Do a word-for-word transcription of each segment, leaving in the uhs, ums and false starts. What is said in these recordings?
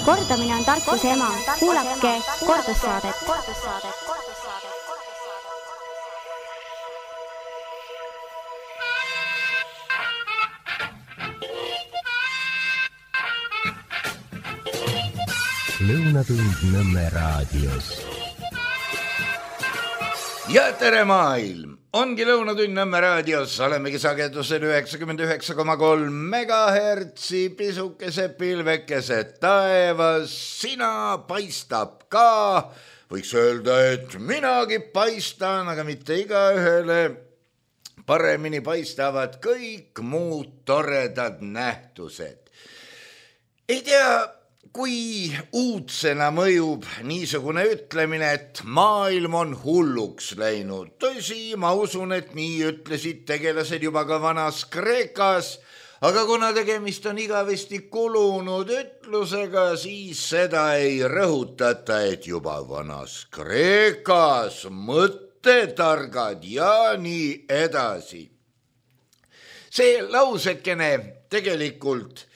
Kordamine on tarkuse ema. Kuulake kordussaadet. Lõunatund Nõmme raadios. Ja tere maailm! Ongi Lõunatund Nõmme raadios, olemegi sagedusel üheksakümmend üheksa koma kolm megahertsi, pisukese pilvekese taevas, sina paistab ka. Võiks öelda, et minagi paistan, aga mitte igaühele. Paremini paistavad kõik muud toredad nähtused. Ei tea, kui uudsena mõjub niisugune ütlemine, et maailm on hulluks läinud. Tõsi, ma usun, et nii ütlesid tegelased juba ka vanas Kreekas, aga kuna tegemist on igavesti kulunud ütlusega, siis seda ei rõhutata, et juba vanas Kreekas mõttetargad ja nii edasi. See lausekene tegelikult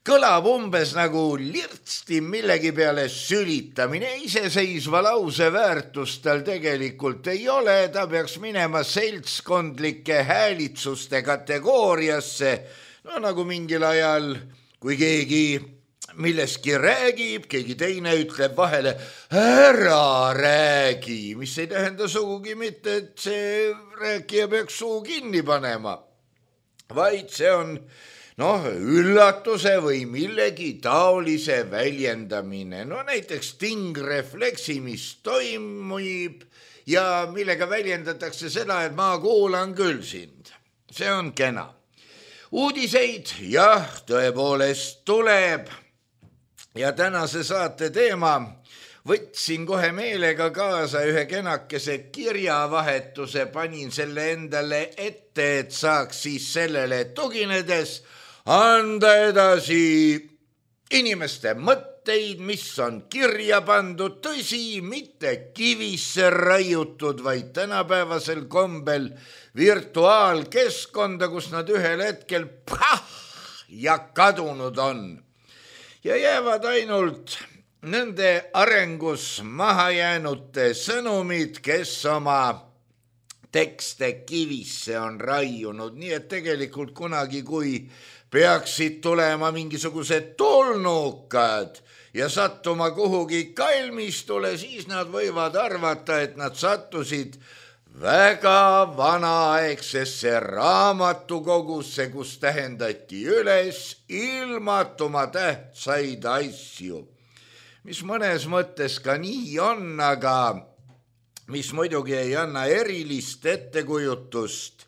kõlab umbes nagu lirtsti millegi peale sülitamine, iseseisva lause väärtust tal tegelikult ei ole, ta peaks minema seltskondlike häälitsuste kategooriasse, no nagu mingil ajal, kui keegi milleski räägib, keegi teine ütleb vahele, ära räägi, mis ei tähenda sugugi mitte, et see rääkija peaks suu kinni panema, vaid see on noh, üllatuse või millegi taolise väljendamine. No näiteks tingrefleksi, mis toimub ja millega väljendatakse seda, et ma kuulan küll sind. See on kena. Uudiseid, jah, tõepoolest tuleb. Ja tänase saate teema võtsin kohe meelega kaasa ühe kenakese kirjavahetuse, panin selle endale ette, et saaks siis sellele tuginedes anda edasi inimeste mõtteid, mis on kirja pandud, tõsi, mitte kivisse raiutud, vaid tänapäevasel kombel virtuaalkeskkonda, kus nad ühel hetkel pah, ja kadunud on. Ja jäävad ainult nende arengus mahajäänute sõnumid, kes oma tekste kivisse on raiunud, nii et tegelikult kunagi, kui peaksid tulema mingisugused tulnukad ja sattuma kuhugi kalmistule, siis nad võivad arvata, et nad sattusid väga vanaaegsesse raamatukogusse, kus tähendati üles ilmatuma tähtsaid asju, mis mõnes mõttes ka nii on, aga mis muidugi ei anna erilist ettekujutust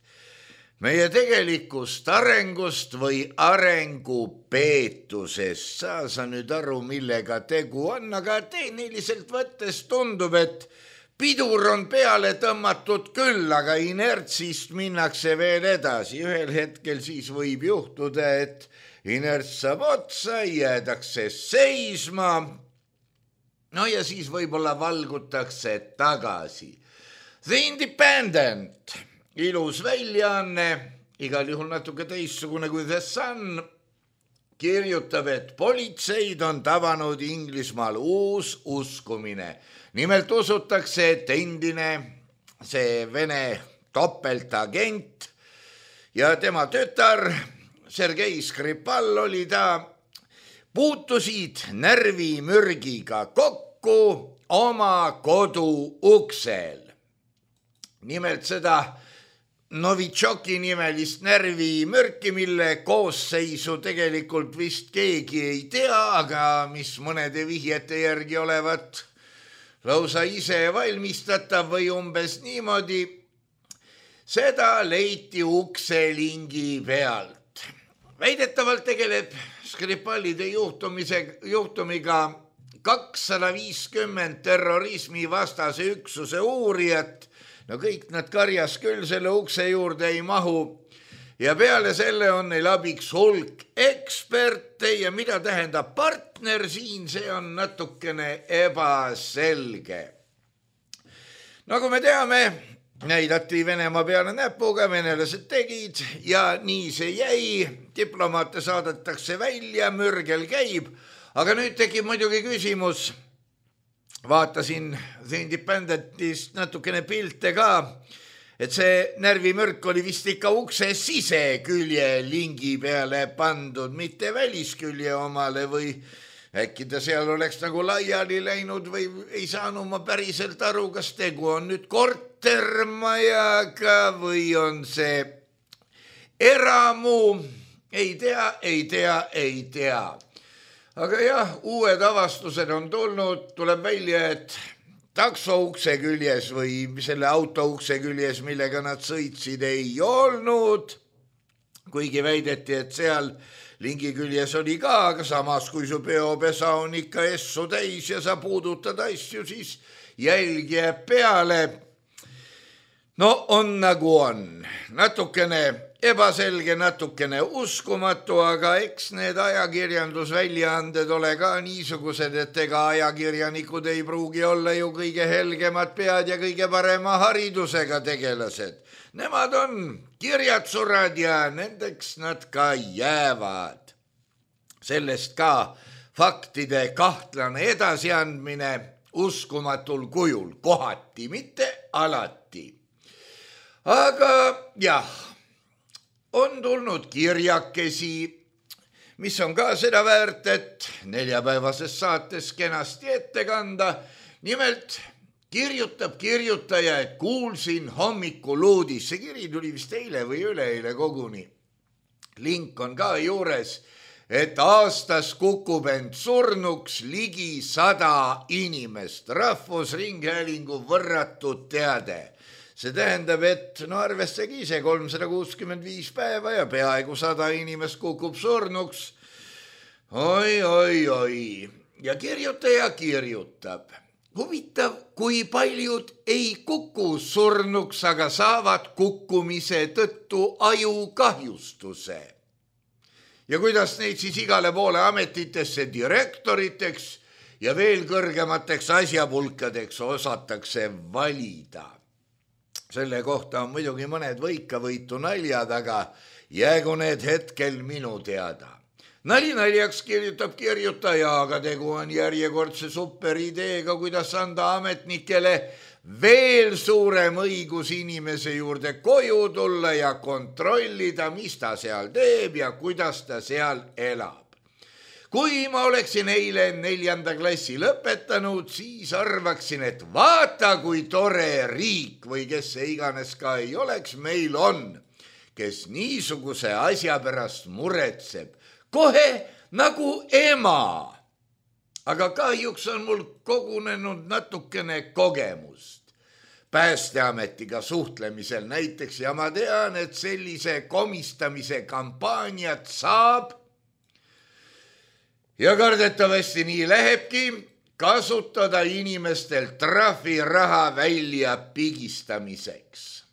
meie tegelikust arengust või arengupeetusest. Saa sa nüüd aru, millega tegu on, aga tehniliselt võttes tundub, et pidur on peale tõmmatud küll, aga inertsist minnakse veel edasi. Ühel hetkel siis võib juhtuda, et inerts saab otsa, jäädakse seisma. No ja siis võib-olla valgutakse tagasi. The Independent, ilus väljaanne, igal juhul natuke teistsugune kui The Sun, kirjutab, et politseid on tabanud Inglismaal uus uskumine. Nimelt usutakse, et endine see Vene topeltagent ja tema tütar Sergei Skripal oli ta, puutusid närvimürgiga kokku oma kodu uksel. Nimelt seda Novitšoki nimelist närvimürki, mille koosseisu tegelikult vist keegi ei tea, aga mis mõnede vihjete järgi olevat lausa ise valmistatav või umbes niimoodi, seda leiti ukselingi pealt. Väidetavalt tegeleb Skripalide juhtumiga kakssada viiskümmend terrorismi vastase üksuse uurijat. No kõik nad karjas küll selle ukse juurde ei mahu ja peale selle on neil abiks hulk eksperte ja mida tähendab partner siin, see on natukene ebaselge. Nagu me teame, näidati Venemaa peale näpuga, venelased tegid ja nii see jäi, diplomaate saadetakse välja, mürgel käib, aga nüüd tekib muidugi küsimus, vaatasin The Independentist natukene pilte ka, et see närvimürk oli vist ikka ukse sisekülje lingi peale pandud, mitte väliskülje omale või äkki ta seal oleks nagu laiali läinud või ei saanud ma päriselt aru, kas tegu on nüüd kortermajaga või on see eramu, ei tea, ei tea, ei tea. Aga jah, uued avastused on tulnud, tuleb välja, et takso ukse küljes või selle auto ukse küljes, millega nad sõitsid, ei olnud, kuigi väideti, et seal lingi küljes oli ka, aga samas kui su peopesa on ikka essu täis ja sa puudutad asju, siis jälg jääb peale. No on nagu on, natukene ebaselge, natukene uskumatu, aga eks need ajakirjandusväljaanded ole ka niisugused, et ega ajakirjanikud ei pruugi olla ju kõige helgemad pead ja kõige parema haridusega tegelased. Nemad on kirjatsurad ja nendeks nad ka jäävad. Sellest ka faktide kahtlane edasiandmine uskumatul kujul, kohati, mitte alati. Aga jah, on tulnud kirjakesi, mis on ka seda väärt, et neljapäevases saates kenasti ette kanda. Nimelt kirjutab kirjutaja, et kuulsin hommikul uudis. See kiri tuli vist eile või üleeile koguni. Link on ka juures, et aastas kukub end surnuks ligi sada inimest. Rahvusringhäälingu võrratud teade. See tähendab, et no arvestagi ise kolmsada kuuskümmend viis päeva ja peaaegu sada inimest kukub surnuks. Oi, oi, oi. Ja kirjutaja kirjutab. Huvitav, kui paljud ei kuku surnuks, aga saavad kukkumise tõttu ajukahjustuse. Ja kuidas neid siis igale poole ametitesse direktoriteks ja veel kõrgemateks asjapulkadeks osatakse valida. Selle kohta on muidugi mõned võikavõitu naljad, aga jäägu need hetkel minu teada. Nali naljaks kirjutab kirjutaja, aga tegu on järjekordse superideega, kuidas anda ametnikele veel suurem õigus inimese juurde koju tulla ja kontrollida, mis ta seal teeb ja kuidas ta seal elab. Kui ma oleksin eile neljanda klassi lõpetanud, siis arvaksin, et vaata, kui tore riik või kes see iganes ka ei oleks, meil on, kes niisuguse asja pärast muretseb. Kohe nagu ema. Aga kahjuks on mul kogunenud natukene kogemust Päästeametiga suhtlemisel näiteks ja ma tean, et sellise komistamise kampaaniat saab ja kardetavasti nii lähebki kasutada inimestel trahviraha välja pigistamiseks.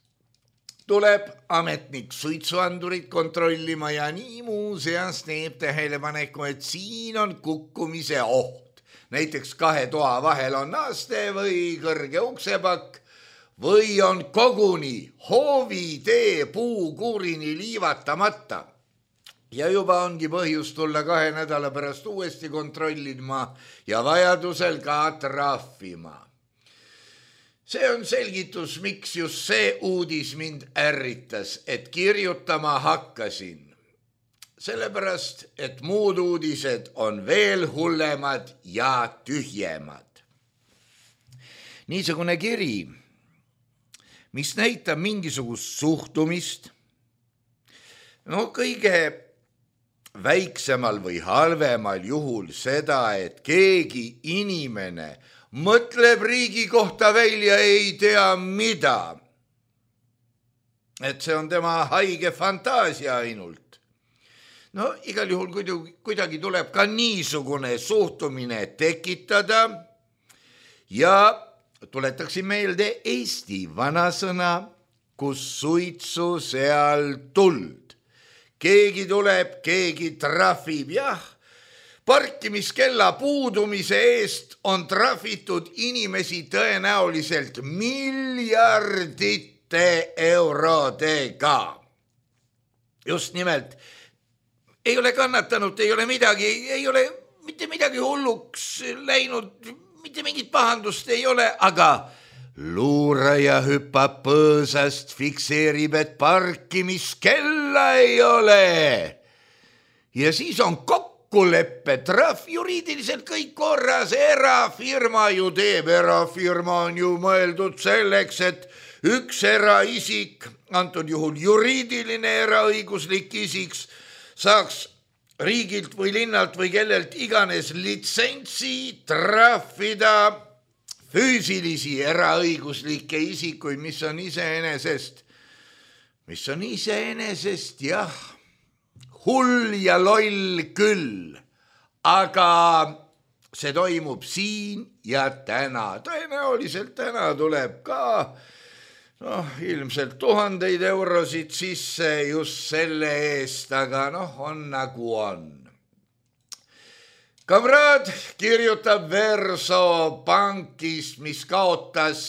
Tuleb ametnik suitsuandurit kontrollima ja nii muuseas teeb tähelepaneku, et siin on kukkumise oht. Näiteks kahe toa vahel on naaste või kõrge uksepakk või on koguni hoovitee puukuurini liivatamata. Ja juba ongi põhjus tulla kahe nädala pärast uuesti kontrollima ja vajadusel ka trahvima. See on selgitus, miks just see uudis mind ärritas, et kirjutama hakkasin. Sellepärast, et muud uudised on veel hullemad ja tühjemad. Niisugune kiri, mis näitab mingisugust suhtumist, no kõige väiksemal või halvemal juhul seda, et keegi inimene mõtleb riigi kohta välja ei tea mida. Et see on tema haige fantaasia ainult. No igal juhul kuidagi tuleb ka niisugune suhtumine tekitada ja tuletaksin meelde Eesti vanasõna, kus suitsu seal tuld. Keegi tuleb, keegi trahvib, jah. Parkimiskella puudumise eest on trahvitud inimesi tõenäoliselt miljardite eurodega. Just nimelt, ei ole kannatanud, ei ole midagi, ei ole mitte midagi hulluks läinud, mitte mingit pahandust ei ole, aga luuraja hüppab põõsast, fikseerib, et parkimiskella ei ole. Ja siis on kokkuleppe, trahv, juriidiliselt kõik korras, erafirma ju teeb, erafirma on ju mõeldud selleks, et üks eraisik, antud juhul juriidiline eraõiguslik isiks, saaks riigilt või linnalt või kellelt iganes litsentsi trahvida füüsilisi eraõiguslikke isikuid, mis on iseenesest, mis on iseenesest jah, hull ja loll küll, aga see toimub siin ja täna. Tõenäoliselt täna tuleb ka noh, ilmselt tuhandeid eurosid sisse just selle eest, aga noh, on nagu on. Kamraad kirjutab Verso pankist, mis kaotas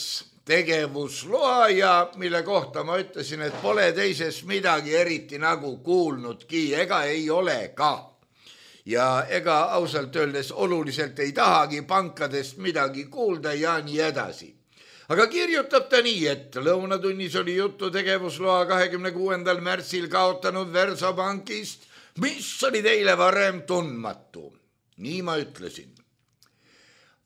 tegevusloa ja mille kohta ma ütlesin, et pole teisest midagi eriti nagu kuulnudki, ega ei ole ka. Ja ega ausalt öeldes oluliselt ei tahagi pankadest midagi kuulda ja nii edasi. Aga kirjutab ta nii, et lõunatunnis oli juttu tegevusloa kahekümne kuuendal märtsil kaotanud Verso pankist, mis oli teile varem tundmatu. Nii ma ütlesin.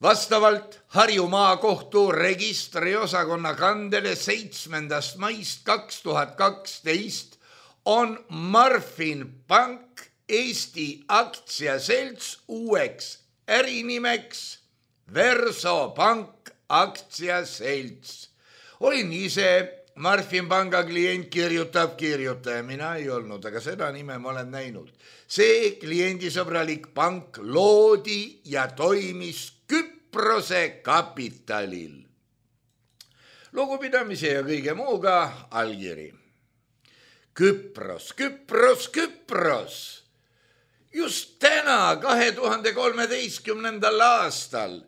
Vastavalt Harju maakohtu registriosakonna kandele seitsmendast maist kaks tuhat kaksteist on Marfin Pank Eesti aktsiaselts uueks ärinimeks Verso Pank aktsiaselts. Olin ise Marfin Panga klient, kirjutab kirjutaja, mina ei olnud, aga seda nime ma olen näinud. See kliendisõbralik pank loodi ja toimis Küprose kapitalil. Lugupidamise ja kõige muuga allkiri. Küpros, Küpros, Küpros. Just täna, kahe tuhande kolmeteistkümnendal aastal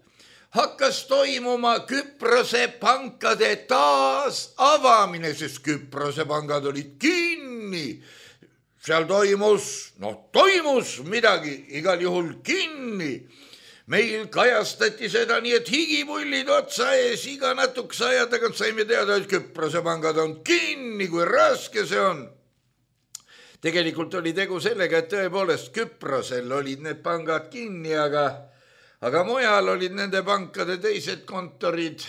hakkas toimuma Küprose pankade taas avamine, sest Küprose pangad olid kinni. Seal toimus, no toimus midagi, igal juhul kinni. Meil kajastati seda nii, et higipullid otsa ees, iga natukese aja tagant saime teada, et Küprose pangad on kinni, kui raske see on. Tegelikult oli tegu sellega, et tõepoolest Küprosel olid need pangad kinni, aga Aga mujal olid nende pankade teised kontorid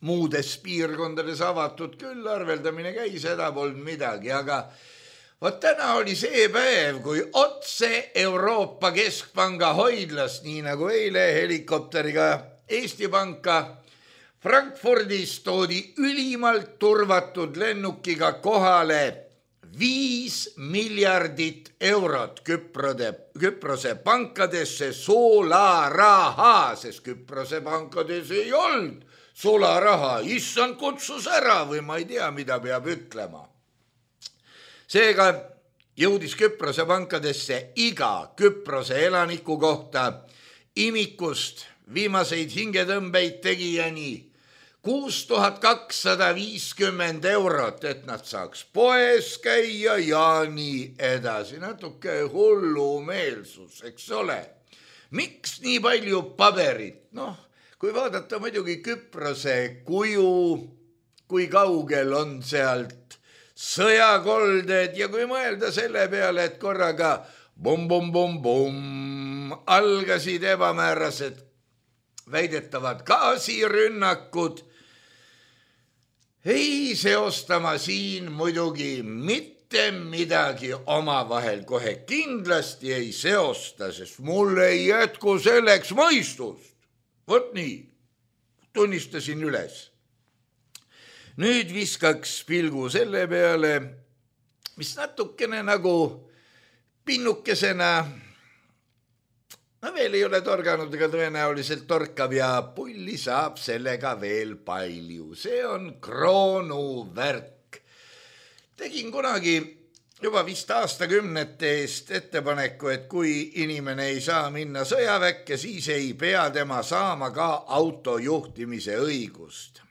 muudes piirkondades avatud küll, arveldamine käis, seda polnud midagi, aga võt täna oli see päev, kui otse Euroopa Keskpanga hoidlast, nii nagu eile helikopteriga Eesti Panka, Frankfurdis toodi ülimalt turvatud lennukiga kohale viis miljardit eurot Küprode, Küprose pankadesse sularaha, sest Küprose pankades ei olnud sularaha. Issand kutsus ära või ma ei tea, mida peab ütlema. Seega jõudis Küprose pankadesse iga Küprose elaniku kohta imikust viimaseid hingetõmbeid tegijani kuus tuhat kakssada viiskümmend eurot, et nad saaks poes käia ja nii edasi. Natuke hullumeelsus, eks ole. Miks nii palju paberit? Noh, kui vaadata muidugi Küprose kuju, kui kaugel on sealt sõjakolded ja kui mõelda selle peale, et korraga bum-bum-bum-bum algasid ebamäärased väidetavad gaasirünnakud, ei seostama siin muidugi mitte midagi omavahel, kohe kindlasti ei seosta, sest mul ei jätku selleks mõistust. Vot nii, tunnistasin üles. Nüüd viskaks pilgu selle peale, mis natukene nagu pinnukesena, no veel ei ole torganud, ega tõenäoliselt torkab ja pulli saab sellega veel palju. See on kroonuvärk. Tegin kunagi juba vist aastakümnete eest ettepaneku, et kui inimene ei saa minna sõjaväkke, siis ei pea tema saama ka autojuhtimise õigust.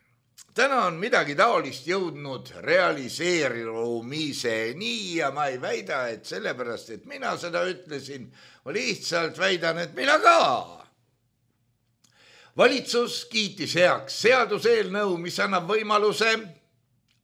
täna on midagi taolist jõudnud realiseerumiseni ja ma ei väida, et sellepärast, et mina seda ütlesin, ma lihtsalt väidan, et mina ka. Valitsus kiitis heaks seaduseelnõu, mis annab võimaluse,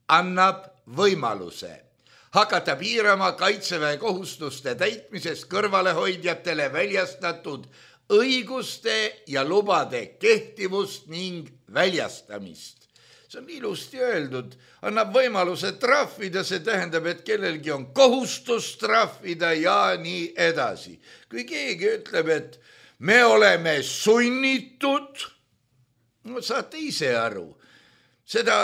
annab võimaluse hakata piirama kaitseväe kohustuste täitmisest kõrvalehoidjatele väljastatud õiguste ja lubade kehtivust ning väljastamist. See on ilusti öeldud, annab võimaluse trahvida, see tähendab, et kellelgi on kohustus trahvida ja nii edasi. Kui keegi ütleb, et me oleme sunnitud, no saate ise aru, seda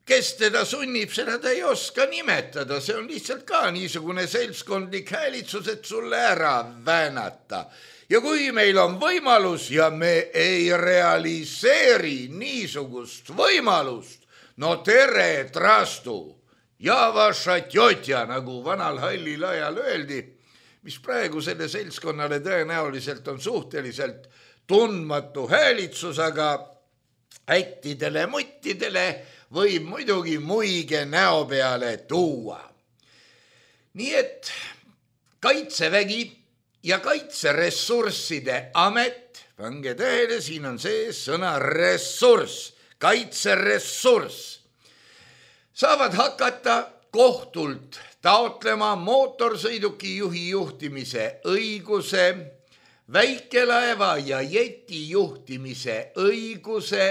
kes teda sunnib, seda ta ei oska nimetada, see on lihtsalt ka niisugune seltskondlik häälitsus, et sulle ära väänata. Ja kui meil on võimalus ja me ei realiseeri niisugust võimalust, no tere trastu, ja vaša tjotja, nagu vanal hallil ajal öeldi, mis praegu selle seltskonnale tõenäoliselt on suhteliselt tundmatu häälitsus, aga ättidele, muttidele võib muidugi muige näo peale tuua. Nii et kaitsevägi ja kaitseressursside amet, pange tähele, siin on see sõna ressurss, kaitseressurss, saavad hakata kohtult taotlema mootorsõiduki juhi juhtimise õiguse, väikelaeva ja jeti juhtimise õiguse,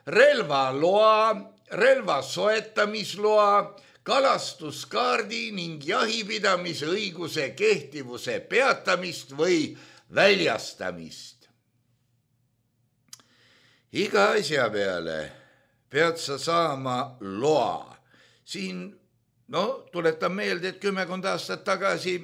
relvaloa, relva soetamisloa, kalastuskaardi ning jahipidamise õiguse kehtivuse peatamist või väljastamist. Iga asja peale pead sa saama loa. Siin, no, tuletan meelde, et kümmekond aastat tagasi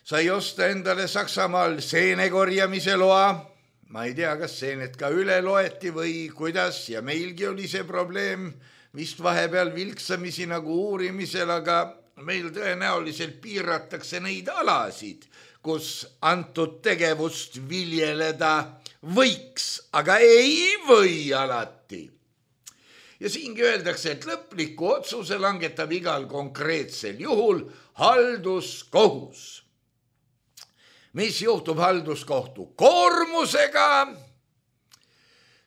sai osta endale Saksamaal seene korjamise loa. Ma ei tea, kas seened ka üle loeti või kuidas ja meilgi oli see probleem vist vahepeal vilksamisi nagu uurimisel, aga meil tõenäoliselt piiratakse neid alasid, kus antud tegevust viljeleda võiks, aga ei või alati. Ja siingi öeldakse, et lõpliku otsuse langetab igal konkreetsel juhul halduskohus. Mis juhtub halduskohtu koormusega?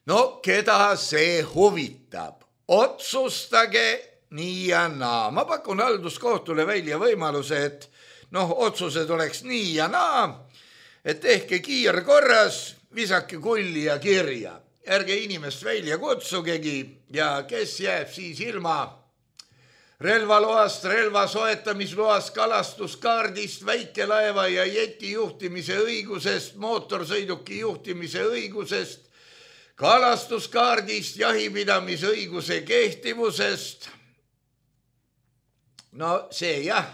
No, keda see huvitab? Otsustage nii ja naa. Ma pakun halduskohtule välja võimaluse, et noh, otsused oleks nii ja naa, et tehke kiirkorras, visake kulli ja kirja. Ärge inimest välja kutsugegi ja kes jääb siis ilma relvaloast, relva soetamisloast, kalastuskaardist, väikelaeva ja jeti juhtimise õigusest, mootorsõiduki juhtimise õigusest, kalastuskaardist, jahipidamise õiguse kehtivusest. No see jah,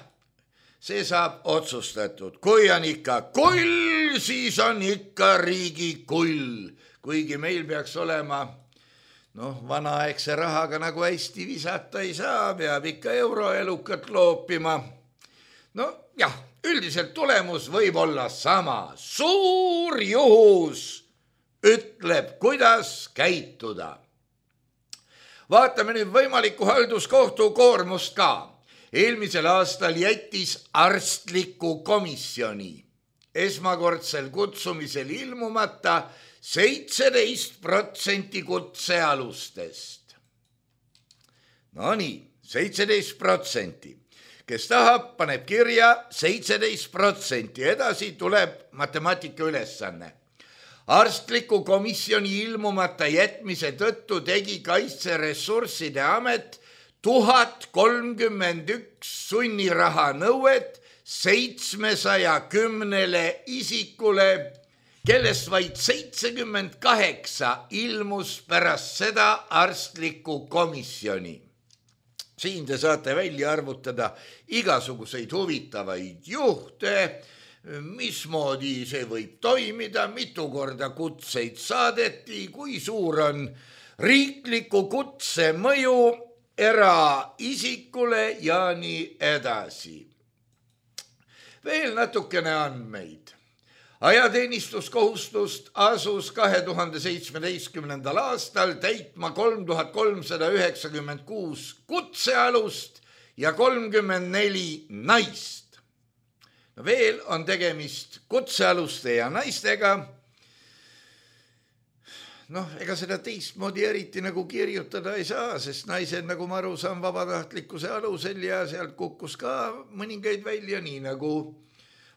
see saab otsustatud. Kui on ikka kull, siis on ikka riigi kull. Kuigi meil peaks olema noh, vanaaegse rahaga nagu hästi visata ei saa, peab ikka euroelukat loopima. No jah, üldiselt tulemus võib olla sama. Suur juhus ütleb, kuidas käituda. Vaatame nüüd võimaliku halduskohtu koormust ka. Eelmisel aastal jättis arstliku komisjoni esmakordsel kutsumisel ilmumata seitseteist protsenti kutsealustest. No nii, seitseteist protsenti. Kes tahab, paneb kirja seitseteist protsenti. Edasi tuleb matemaatika ülesanne. Arstliku komisjoni ilmumata jätmise tõttu tegi Kaitseressursside Amet tuhat kolmkümmend üks sunniraha nõuet seitsmesaja kümnele isikule, kellest vaid seitsekümmend kaheksa ilmus pärast seda arstliku komisjoni. Siin te saate välja arvutada igasuguseid huvitavaid juhte, mismoodi see võib toimida, mitu korda kutseid saadeti, kui suur on riikliku kutse mõju eraisikule ja nii edasi. Veel natukene andmeid. ajateenistuskohustust asus kahe tuhande seitsmeteistkümnendal aastal täitma kolm tuhat kolmsada üheksakümmend kuus kutsealust ja kolmkümmend neli naist. No veel on tegemist kutsealuste ja naistega. Noh, ega seda teistmoodi eriti nagu kirjutada ei saa, sest naised, nagu ma aru saan, vabatahtlikkuse alusel ja sealt kukkus ka mõningaid välja, nii nagu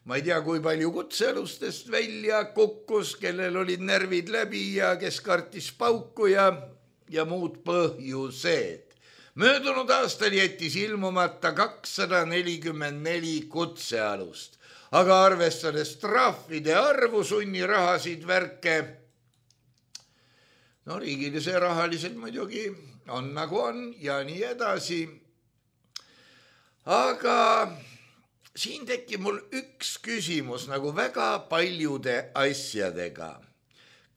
ma ei tea, kui palju kutsealustest välja kukkus, kellel olid närvid läbi ja kes kartis pauku ja, ja muud põhjused. Möödunud aastal jättis ilmumata kakssada nelikümmend neli kutsealust, aga arvestades trahvide arvu, sunnirahasid, värke, no riigile see rahaliselt muidugi on nagu on ja nii edasi. Aga siin tekib mul üks küsimus nagu väga paljude asjadega.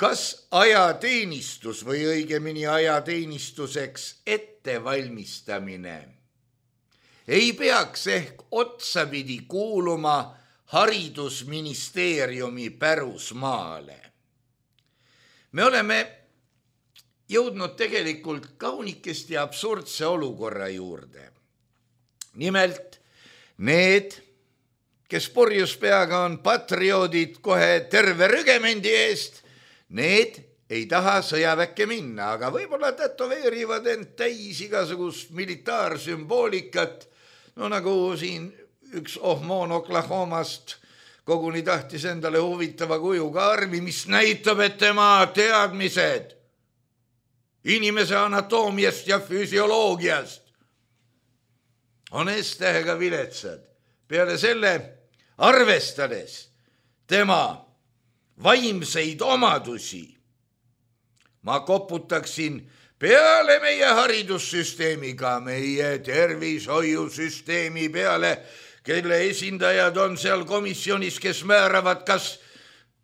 Kas ajateenistus või õigemini ajateenistuseks ettevalmistamine ei peaks ehk otsapidi kuuluma haridusministeeriumi pärusmaale? Me oleme jõudnud tegelikult kaunikesti absurdse olukorra juurde. Nimelt need, kes purjus peaga on patrioodid kohe terve rügemendi eest, need ei taha sõjaväkke minna, aga võib-olla tätoveerivad end täis igasugust militaarsümboolikat, no nagu siin üks ohmoon Oklahomast koguni tahtis endale huvitava kujuga armi, mis näitab, et tema teadmised inimese anatoomiast ja füsioloogiast on S-tähega viletsad. Peale selle, arvestades tema vaimseid omadusi, ma koputaksin peale meie haridussüsteemiga, meie tervishoiusüsteemi peale, kelle esindajad on seal komisjonis, kes määravad, kas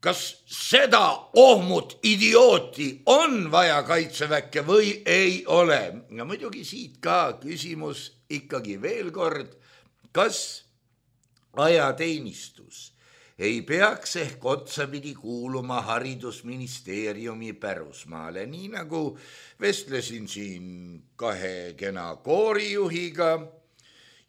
Kas seda ohmut idiooti on vaja kaitseväkke või ei ole? Ja muidugi siit ka küsimus ikkagi veel kord, kas ajateenistus ei peaks ehk otsapidi kuuluma haridusministeeriumi pärusmaale, nii nagu vestlesin siin kahe kena koorijuhiga.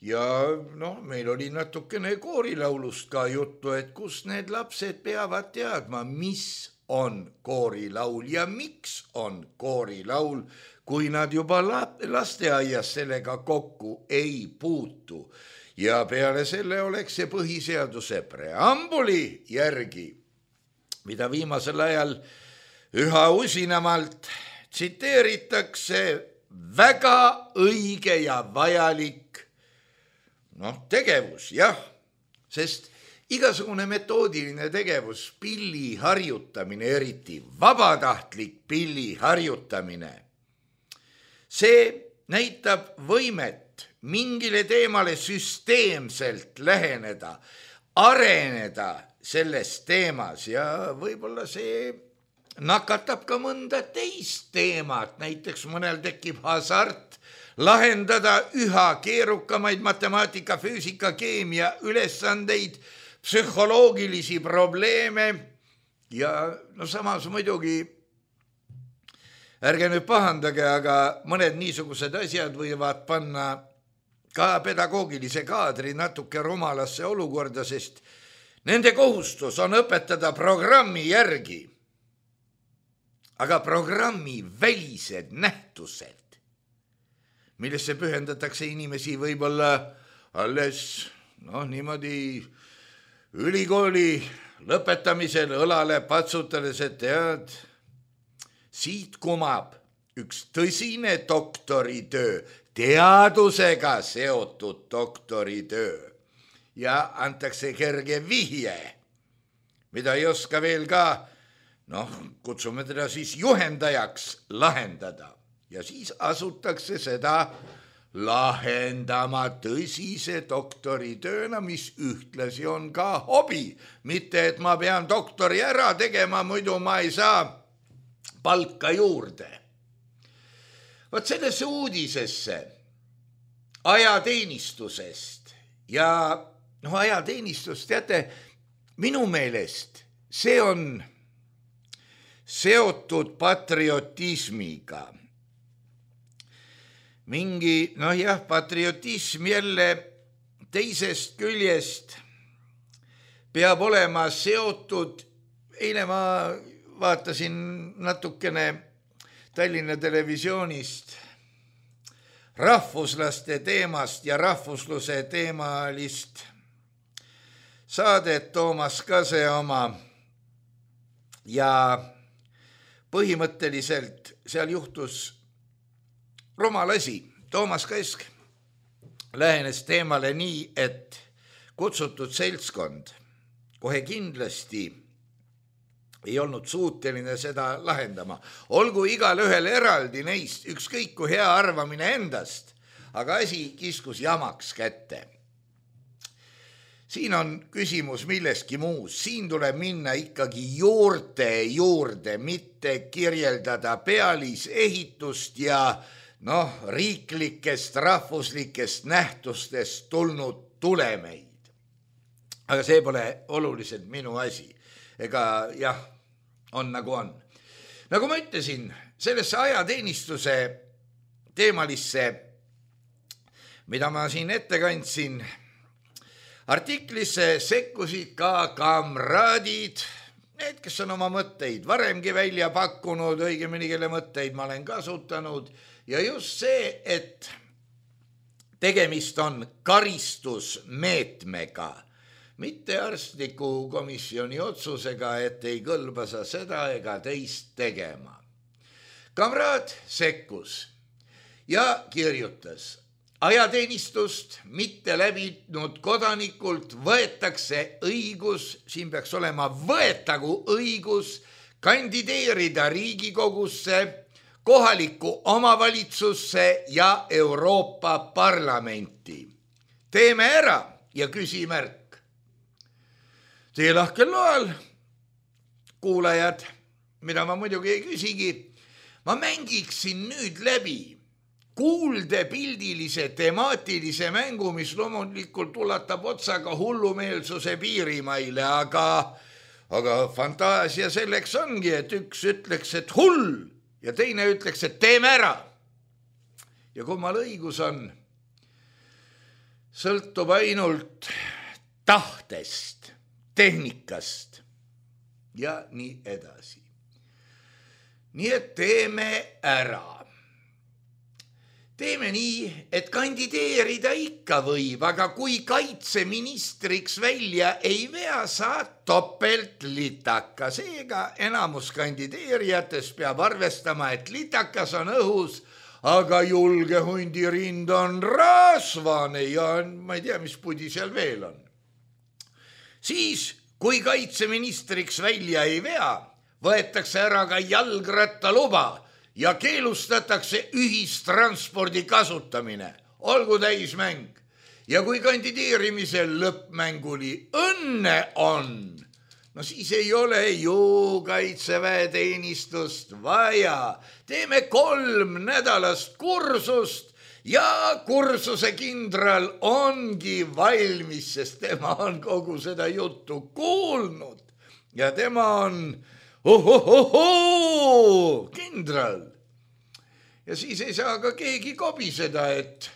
Ja noh, meil oli natukene koorilaulust ka juttu, et kus need lapsed peavad teadma, mis on koorilaul ja miks on koorilaul, kui nad juba lasteaias sellega kokku ei puutu. Ja peale selle oleks see põhiseaduse preambuli järgi, mida viimasel ajal üha usinamalt tsiteeritakse, väga õige ja vajalik noh, tegevus, jah, sest igasugune metoodiline tegevus, pilli harjutamine, eriti vabatahtlik pilli harjutamine, see näitab võimet mingile teemale süsteemselt läheneda, areneda selles teemas ja võib-olla see nakatab ka mõnda teist teemat, näiteks mõnel tekib hasart lahendada üha keerukamaid matemaatika, füüsika, keemia ülesandeid, psühholoogilisi probleeme ja no samas muidugi, ärge nüüd pahandage, aga mõned niisugused asjad võivad panna ka pedagoogilise kaadri natuke rumalasse olukorda, sest nende kohustus on õpetada programmi järgi, aga programmi välised nähtused, millesse pühendatakse inimesi võib-olla alles noh, niimoodi ülikooli lõpetamisel õlale patsutades, et tead, siit kumab üks tõsine doktoritöö, teadusega seotud doktoritöö ja antakse kerge vihje, mida ei oska veel ka, noh, kutsume teda siis juhendajaks lahendada. Ja siis asutakse seda lahendama tõsise doktoritööna, mis ühtlasi on ka hobi. Mitte, et ma pean doktori ära tegema, muidu ma ei saa palka juurde. Vot sellesse uudisesse ajateenistusest ja noh, ajateenistus, teate, minu meelest see on seotud patriotismiga. Mingi, noh jah, patriotism jälle teisest küljest peab olema seotud. Eile ma vaatasin natukene Tallinna televisioonist rahvuslaste teemast ja rahvusluse teemalist saadet Toomas Kase oma ja põhimõtteliselt seal juhtus rumal asi. Toomas Kask lähenes teemale nii, et kutsutud seltskond kohe kindlasti ei olnud suuteline seda lahendama. Olgu igal ühel eraldi neist ükskõik kui hea arvamine endast, aga asi kiskus jamaks kätte. Siin on küsimus milleski muus. Siin tuleb minna ikkagi juurte juurde, mitte kirjeldada pealisehitust ja noh, riiklikest, rahvuslikest nähtustest tulnud tulemeid. Aga see pole oluliselt minu asi. Ega jah, on nagu on. Nagu ma ütlesin, sellesse ajateenistuse teemalisse, mida ma siin ette kandsin, artiklisse sekkusid ka kamraadid, need, kes on oma mõtteid varemgi välja pakkunud, õigemini kelle mõtteid ma olen kasutanud, ja just see, et tegemist on karistusmeetmega, mitte arstliku komisjoni otsusega, et ei kõlba sa seda ega teist tegema. Kamraad sekkus ja kirjutas, ajateenistust mitte läbinud kodanikult võetakse õigus, siin peaks olema võetagu õigus, kandideerida Riigikogusse, kohalikku omavalitsusse ja Euroopa Parlamenti. Teeme ära ja küsimärk. Teie lahkel loal, kuulajad, mida ma muidugi ei küsigi, ma mängiksin nüüd läbi kuulde pildilise temaatilise mängu, mis loomulikult ulatab otsaga hullumeelsuse piirimaile, aga, aga fantaasia selleks ongi, et üks ütleks, et hull ja teine ütleks, et teeme ära. Ja kummal õigus on, sõltub ainult tahtest, tehnikast ja nii edasi. Nii et teeme ära. Teeme nii, et kandideerida ikka võib, aga kui kaitseministriks välja ei vea, saad topelt litaka. Seega enamus kandideerijates peab arvestama, et litakas on õhus, aga julge hundirind on rasvane ja ma ei tea, mis pudi seal veel on. Siis, kui kaitseministriks välja ei vea, võetakse ära ka jalgrattaluba ja keelustatakse ühistranspordi kasutamine. Olgu täismäng. Ja kui kandideerimisel lõppmänguli õnne on, no siis ei ole ju kaitseväeteenistust vaja. Teeme kolm nädalast kursust ja kursuse kindral ongi valmis, sest tema on kogu seda juttu kuulnud ja tema on ohohohoo kindral. Ja siis ei saa ka keegi kobiseda, et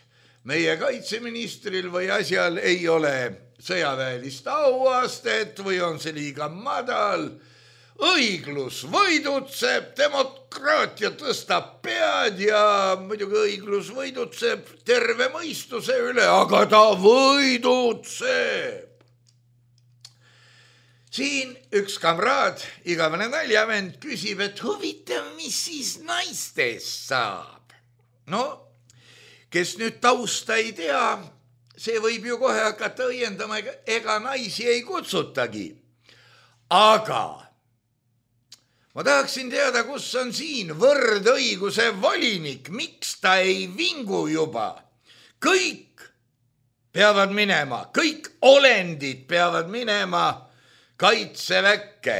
meie kaitseministril või asjal ei ole sõjaväelist auastet või on see liiga madal. Õiglus võidutseb, demokraatia tõstab pead ja muidugi õiglus võidutseb terve mõistuse üle, aga ta võidutseb. Siin üks kamraad, igavene naljavend, küsib, et huvitav, mis siis naistest saab. No, kes nüüd tausta ei tea, see võib ju kohe hakata õiendama, ega naisi ei kutsutagi. Aga ma tahaksin teada, kus on siin võrdõiguse volinik, miks ta ei vingu juba. Kõik peavad minema, kõik olendid peavad minema kaitseväkke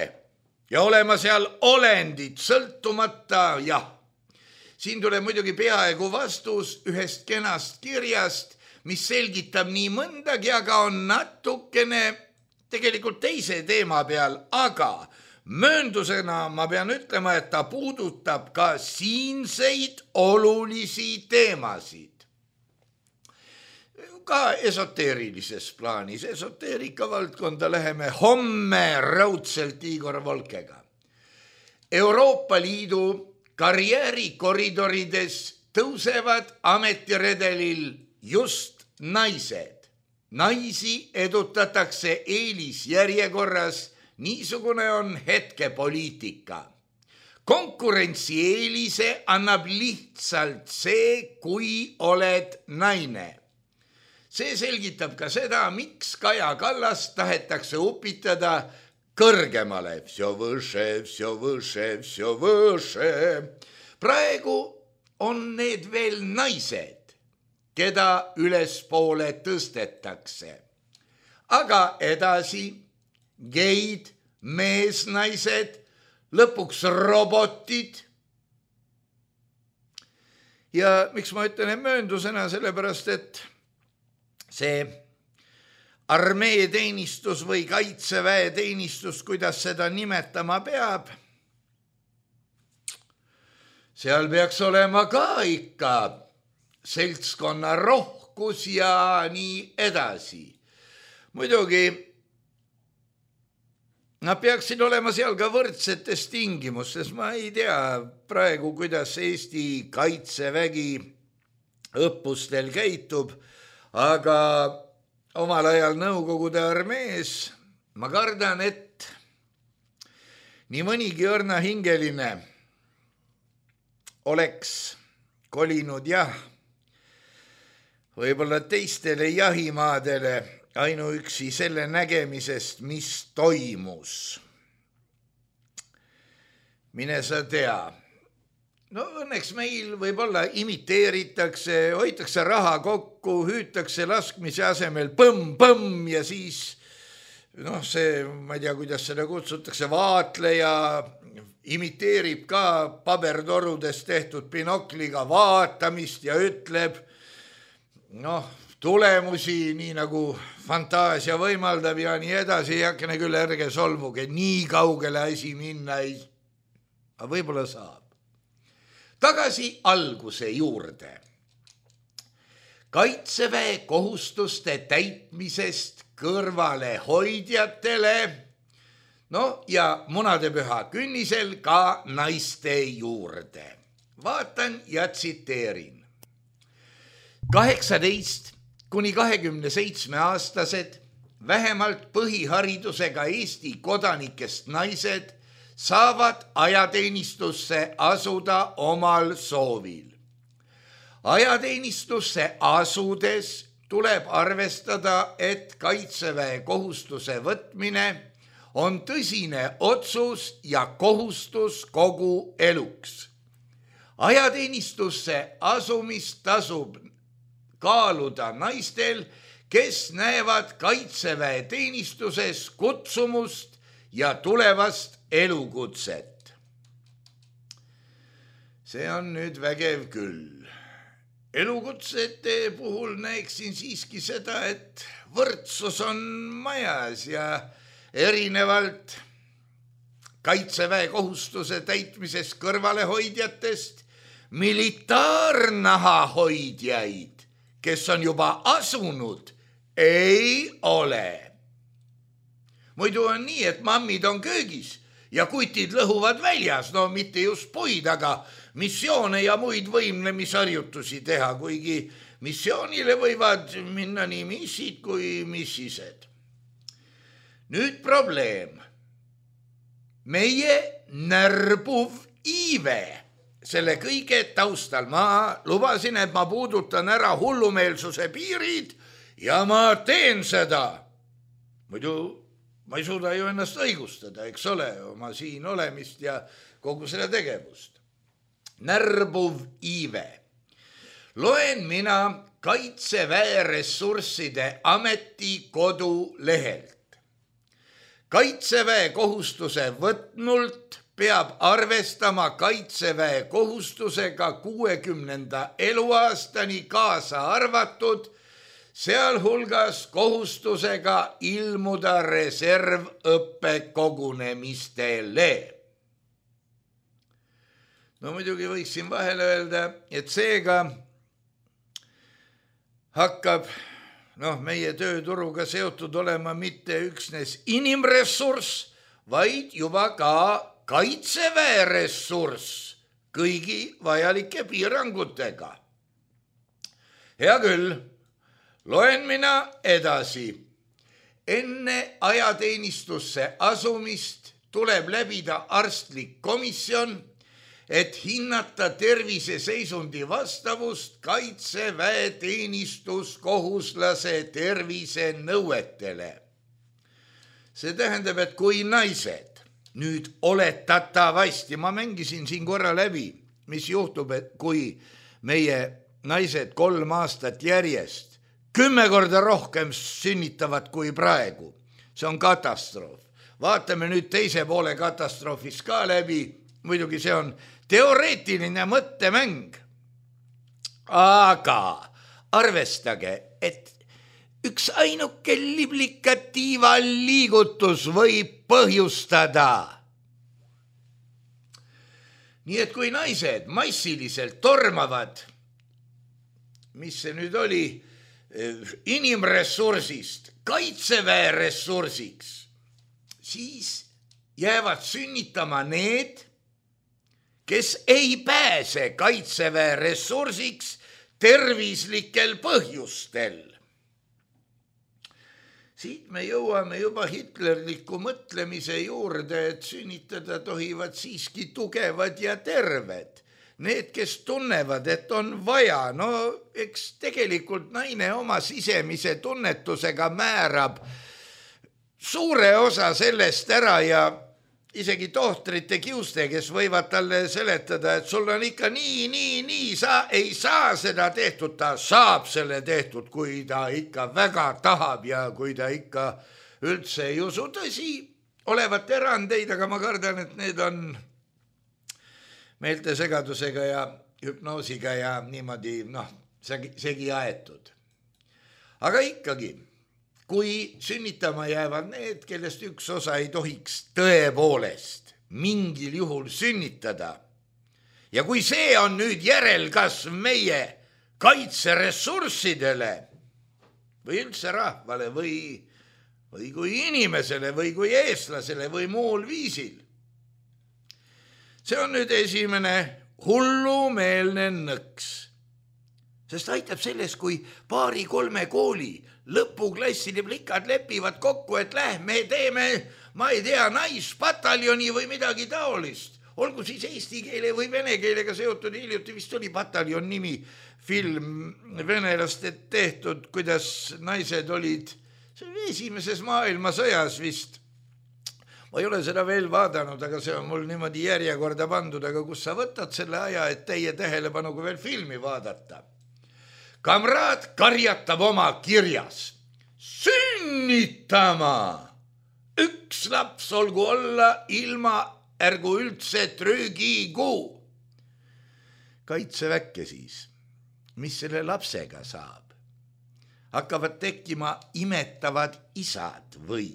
ja olema seal olendid sõltumata, jah. Siin tuleb muidugi peaaegu vastus ühest kenast kirjast, mis selgitab nii mõndagi, aga on natukene tegelikult teise teema peal, aga mööndusena ma pean ütlema, et ta puudutab ka siinseid olulisi teemasid. Ka esoteerilises plaanis, esoteerika valdkonda läheme homme raudselt Igor Volkega. Euroopa Liidu karjäärikoridorides tõusevad ametiredelil just naised. Naisi edutatakse eelisjärjekorras, niisugune on hetkepoliitika. Konkurentsieelise annab lihtsalt see, kui oled naine. See selgitab ka seda, miks Kaja Kallas tahetakse upitada kõrgemale. Vsjo võše, vsjo võše, vsjo võše. Praegu on need veel naised, keda ülespoole tõstetakse. Aga edasi geid, meesnaised, lõpuks robotid. Ja miks ma ütlen mööndusena, sellepärast, et see armeeteenistus või kaitseväeteenistus, kuidas seda nimetama peab, seal peaks olema ka ikka seltskonna rohkus ja nii edasi. Muidugi nad peaksid olema seal ka võrdsetes tingimustes. Ma ei tea praegu, kuidas Eesti kaitsevägi õppustel käitub, aga omal ajal Nõukogude armees ma kardan, et nii mõnigi õrnahingeline oleks kolinud jah, võib-olla teistele jahimaadele ainuüksi selle nägemisest, mis toimus. Mine sa tea. No õnneks meil võib-olla imiteeritakse, hoitakse raha kokku, hüütakse laskmise asemel põmm-põmm ja siis, noh see, ma ei tea, kuidas seda kutsutakse, vaatleja imiteerib ka pabertorudest tehtud binokliga vaatamist ja ütleb, noh, tulemusi nii nagu fantaasia võimaldab ja nii edasi, jakene küll ärge solvuge, nii kaugele asi minna ei, aga võib-olla saab. Tagasi alguse juurde. Kaitseväe kohustuste täitmisest kõrvale hoidjatele, no ja munadepüha künnisel ka naiste juurde. Vaatan ja tsiteerin. kaheksateist kuni kahekümne seitsme aastased, vähemalt põhiharidusega Eesti kodanikest naised saavad ajateenistusse asuda omal soovil. Ajateenistusse asudes tuleb arvestada, et kaitseväe kohustuse võtmine on tõsine otsus ja kohustus kogu eluks. Ajateenistusse asumist tasub kaaluda naistel, kes näevad kaitseväe teenistuses kutsumust ja tulevast elukutset. See on nüüd vägev küll. Elukutsete puhul näeksin siiski seda, et võrdsus on majas ja erinevalt kaitseväe kohustuse täitmises kõrvalehoidjatest militaarnaha hoidjaid, kes on juba asunud, ei ole. Muidu on nii, et mammid on köögis ja kutid lõhuvad väljas, no mitte just puid, aga missioone ja muid võimlemisharjutusi teha, kuigi missioonile võivad minna nii missid kui missised. Nüüd probleem. Meie närbuv iive selle kõige taustal. Ma lubasin, et ma puudutan ära hullumeelsuse piirid ja ma teen seda. Muidu ma ei suuda ju ennast õigustada, eks ole, oma siin olemist ja kogu selle tegevust. Närbuv iive. Loen mina Kaitseväe ressursside ameti kodulehelt. Kaitseväe kohustuse võtnult peab arvestama Kaitseväe kohustusega kuuekümnenda eluaastani kaasa arvatud sealhulgas kohustusega ilmuda reservõppekogunemistele. No muidugi võiksin vahele öelda, et seega hakkab noh, meie tööturuga seotud olema mitte üksnes inimressurss, vaid juba ka kaitseväe ressurss kõigi vajalike piirangutega. Hea küll, loen mina edasi. Enne ajateenistusse asumist tuleb läbida arstlik komisjon, et hinnata terviseseisundi vastavust kaitseväe teenistuskohuslase tervise nõuetele. See tähendab, et kui naised nüüd oletatavasti, ma mängisin siin korra läbi, mis juhtub, et kui meie naised kolm aastat järjest kümme korda rohkem sünnitavad kui praegu. See on katastroof. Vaatame nüüd teise poole katastroofis ka läbi. Muidugi see on teoreetiline mõttemäng. Aga arvestage, et üks ainuke liblikatiiva liigutus võib põhjustada. Nii et kui naised massiliselt tormavad, mis see nüüd oli, inimressursist kaitseväe ressursiks, siis jäävad sünnitama need, kes ei pääse kaitseväe ressursiks tervislikel põhjustel. Siit me jõuame juba hitlerliku mõtlemise juurde, et sünnitada tohivad siiski tugevad ja terved. Need, kes tunnevad, et on vaja, no eks tegelikult naine oma sisemise tunnetusega määrab suure osa sellest ära ja isegi tohtrite kiuste, kes võivad talle seletada, et sul on ikka nii, nii, nii, sa ei saa seda tehtud, ta saab selle tehtud, kui ta ikka väga tahab ja kui ta ikka üldse ei usu. Tõsi, olevat erandeid, aga ma kardan, et need on meeltesegadusega ja hüpnoosiga ja niimoodi, noh, segi aetud. Aga ikkagi, kui sünnitama jäävad need, kellest üks osa ei tohiks tõepoolest mingil juhul sünnitada, ja kui see on nüüd järelkasv meie kaitseressurssidele või üldse rahvale või, või kui inimesele või kui eestlasele või muul viisil, see on nüüd esimene hullumeelne nõks. Sest aitab selles, kui paari-kolme kooli lõpuklasside plikad lepivad kokku, et lähme teeme, ma ei tea, naispataljoni või midagi taolist. Olgu siis eesti keele või vene keelega seotud, hiljuti vist oli pataljon nimi, film venelaste tehtud, kuidas naised olid esimeses maailmasõjas vist. Ma ei ole seda veel vaadanud, aga see on mul niimoodi järjekorda pandud, aga kus sa võtad selle aja, et teie tähelepanuga veel filmi vaadata. Kamraad karjatab oma kirjas. Sünnitama! Üks laps olgu olla ilma ärgu üldse trügikuu. Kaitseväkke siis, mis selle lapsega saab? Hakkavad tekkima imetavad isad või?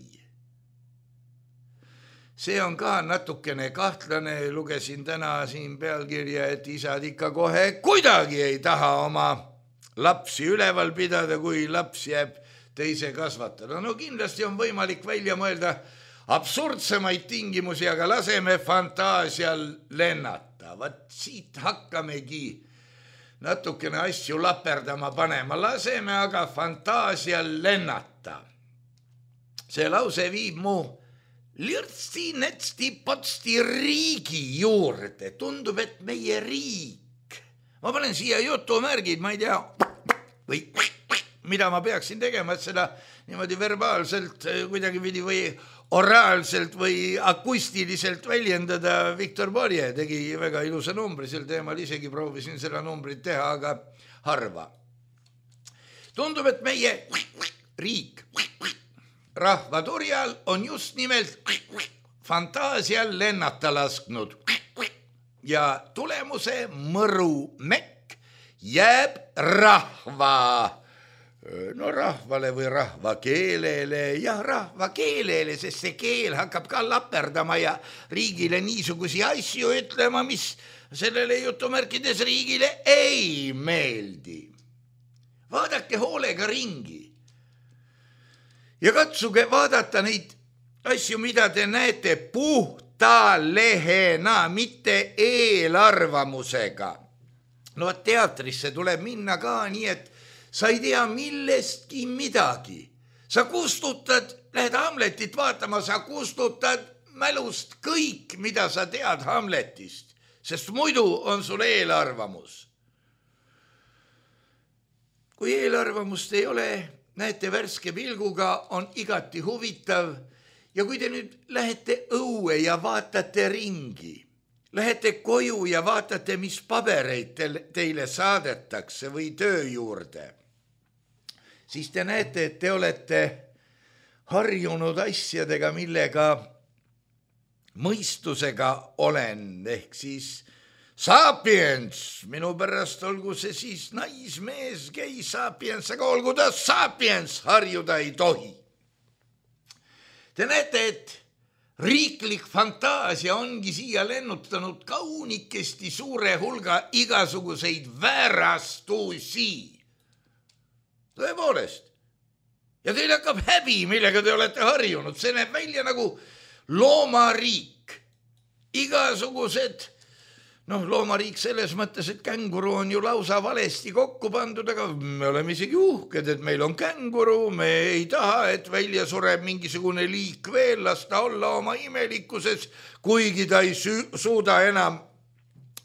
See on ka natukene kahtlane, lugesin täna siin pealkirja, et isad ikka kohe kuidagi ei taha oma lapsi üleval pidada, kui laps jääb teise kasvatada. No kindlasti on võimalik välja mõelda absurdsemaid tingimusi, aga laseme fantaasial lennata. Vat siit hakkamegi natukene asju laperdama panema. Laseme aga fantaasial lennata. See lause viib mu lirtsi, netsti, potsti riigi juurde. Tundub, et meie riik. Ma panen siia jutumärgid, ma ei tea, või mida ma peaksin tegema, et seda niimoodi verbaalselt kuidagi vidi või oraalselt või akustiliselt väljendada. Viktor Borje tegi väga ilusa numbri sel teemal, isegi proovisin seda numbrit teha, aga harva. Tundub, et meie riik rahvaturjal on just nimelt fantaasial lennata lasknud ja tulemuse mõru mekk jääb rahva no rahvale või rahvakeelele ja rahvakeelele, sest see keel hakkab ka laperdama ja riigile niisugusi asju ütlema, mis sellele jutumärkides riigile ei meeldi. Vaadake hoolega ringi ja katsuge vaadata neid asju, mida te näete puhta lehena, mitte eelarvamusega. No teatrisse tuleb minna ka nii, et sa ei tea millestki midagi. Sa kustutad, lähed Hamletit vaatama, sa kustutad mälust kõik, mida sa tead Hamletist, sest muidu on sul eelarvamus. Kui eelarvamust ei ole, näete värske pilguga, on igati huvitav ja kui te nüüd lähete õue ja vaatate ringi, lähete koju ja vaatate, mis pabereid teile saadetakse või töö juurde, siis te näete, et te olete harjunud asjadega, millega mõistusega olen, ehk siis sapiens, minu pärast olgu see siis naismees, gei sapiens, aga olgu ta sapiens, harjuda ei tohi. Te näete, et riiklik fantaasia ongi siia lennutanud kaunikesti suure hulga igasuguseid väärastusi. Tõepoolest. Ja teil hakkab häbi, millega te olete harjunud. See näeb välja nagu loomariik. Igasugused, noh, loomariik selles mõttes, et känguru on ju lausa valesti kokku pandud, aga me oleme isegi uhked, et meil on känguru, me ei taha, et välja sureb mingisugune liik veel, lasta olla oma imelikkuses, kuigi ta ei suuda enam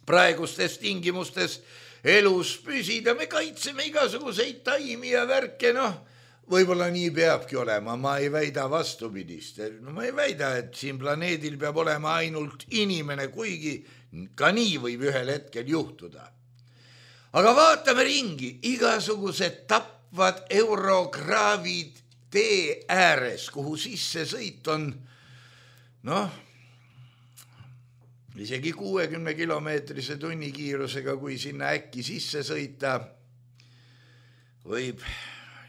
praegustes tingimustes elus püsida. Me kaitseme igasuguseid taimi ja värke, noh, võib-olla nii peabki olema, ma ei väida vastupidist. No ma ei väida, et siin planeedil peab olema ainult inimene, kuigi ka nii võib ühel hetkel juhtuda. Aga vaatame ringi, igasugused tapvad eurograavid tee ääres, kuhu sisse sõit on, noh, isegi kuuekümne kilomeetrise tunnikiirusega, kui sinna äkki sisse sõita, võib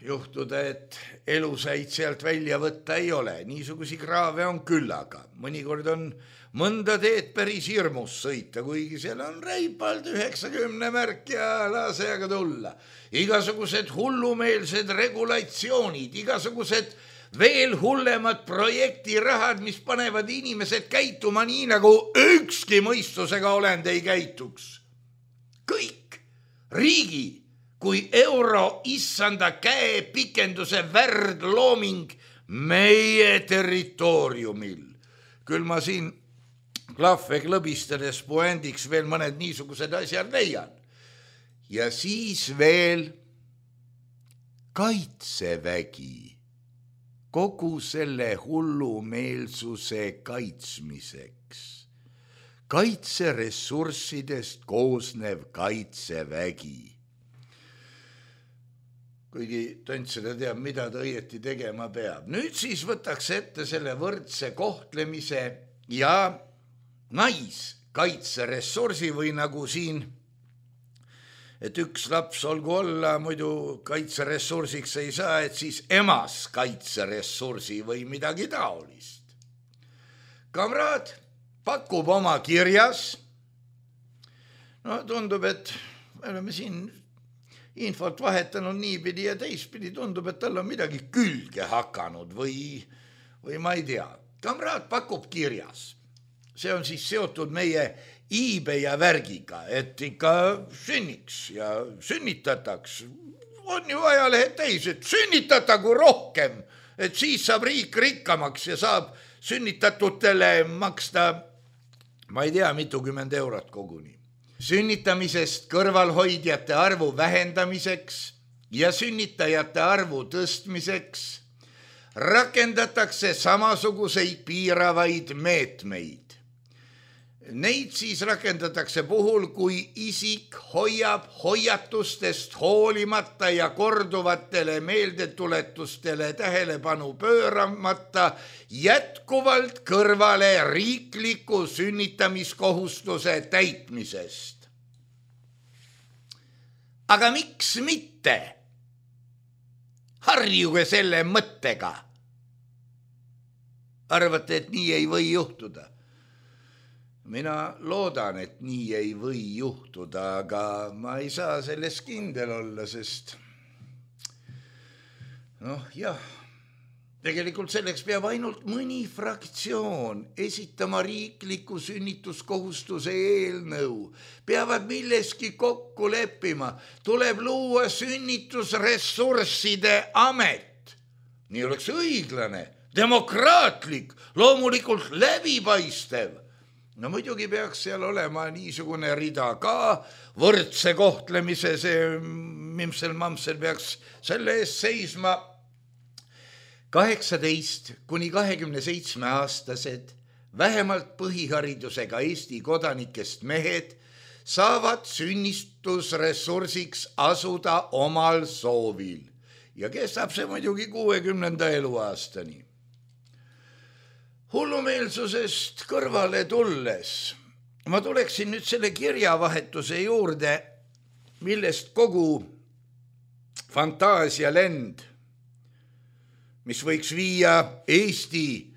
juhtuda, et elusaid sealt välja võtta ei ole. Niisugusi kraave on küllaga. Mõnikord on mõnda teed päris hirmus sõita, kuigi seal on reipalt üheksakümne märk ja lase aga tulla. Igasugused hullumeelsed regulatsioonid, igasugused veel hullemad projektirahad, mis panevad inimesed käituma nii, nagu ükski mõistusega olend ei käituks. Kõik riigi kui euro issanda käe pikenduse värdlooming meie territooriumil. Küll ma siin klahve klõbistades puendiks veel mõned niisugused asjad leian. Ja siis veel kaitsevägi kogu selle hullumeelsuse kaitsmiseks. Kaitseressurssidest koosnev kaitsevägi. Kuigi tont seda teab, mida ta õieti tegema peab. Nüüd siis võtaks ette selle võrdse kohtlemise ja naiskaitseressursi või nagu siin, et üks laps olgu olla, muidu kaitseressursiks ei saa, et siis emas kaitseressursi või midagi taolist. Kamraad pakub oma kirjas, no tundub, et me oleme siin infot vahetanud niipidi ja teistpidi, tundub, et tal on midagi külge hakanud või, või ma ei tea. Kamraad pakub kirjas. See on siis seotud meie iibe ja värgiga, et ikka sünniks ja sünnitataks. On ju ajalehed täis, et sünnitatagi rohkem, et siis saab riik rikkamaks ja saab sünnitatutele maksta, ma ei tea, mitukümmend eurot koguni. Sünnitamisest kõrvalhoidjate arvu vähendamiseks ja sünnitajate arvu tõstmiseks rakendatakse samasuguseid piiravaid meetmeid. Neid siis rakendatakse puhul, kui isik hoiab hoiatustest hoolimata ja korduvatele meeldetuletustele tähelepanu pööramata jätkuvalt kõrvale riikliku sünnitamiskohustuse täitmisest. Aga miks mitte? harjuge selle mõttega. Arvate, et nii ei või juhtuda? Mina loodan, et nii ei või juhtuda, aga ma ei saa selles kindel olla, sest noh, jah, tegelikult selleks peab ainult mõni fraktsioon esitama riikliku sünnituskohustuse eelnõu. Peavad milleski kokku leppima. Tuleb luua sünnitusressursside amet. Nii oleks õiglane, demokraatlik, loomulikult läbipaistev. No muidugi peaks seal olema niisugune rida ka, võrdse kohtlemise, see Mimsel-Mamsel peaks selle eest seisma. kaheksateist kuni kahekümne seitsme aastased, vähemalt põhiharidusega Eesti kodanikest mehed saavad sünnitusressursiks asuda omal soovil ja kestab see muidugi kuuekümnenda eluaastani. Hullumeelsusest kõrvale tulles ma tuleksin nüüd selle kirjavahetuse juurde, millest kogu fantaasialend, mis võiks viia Eesti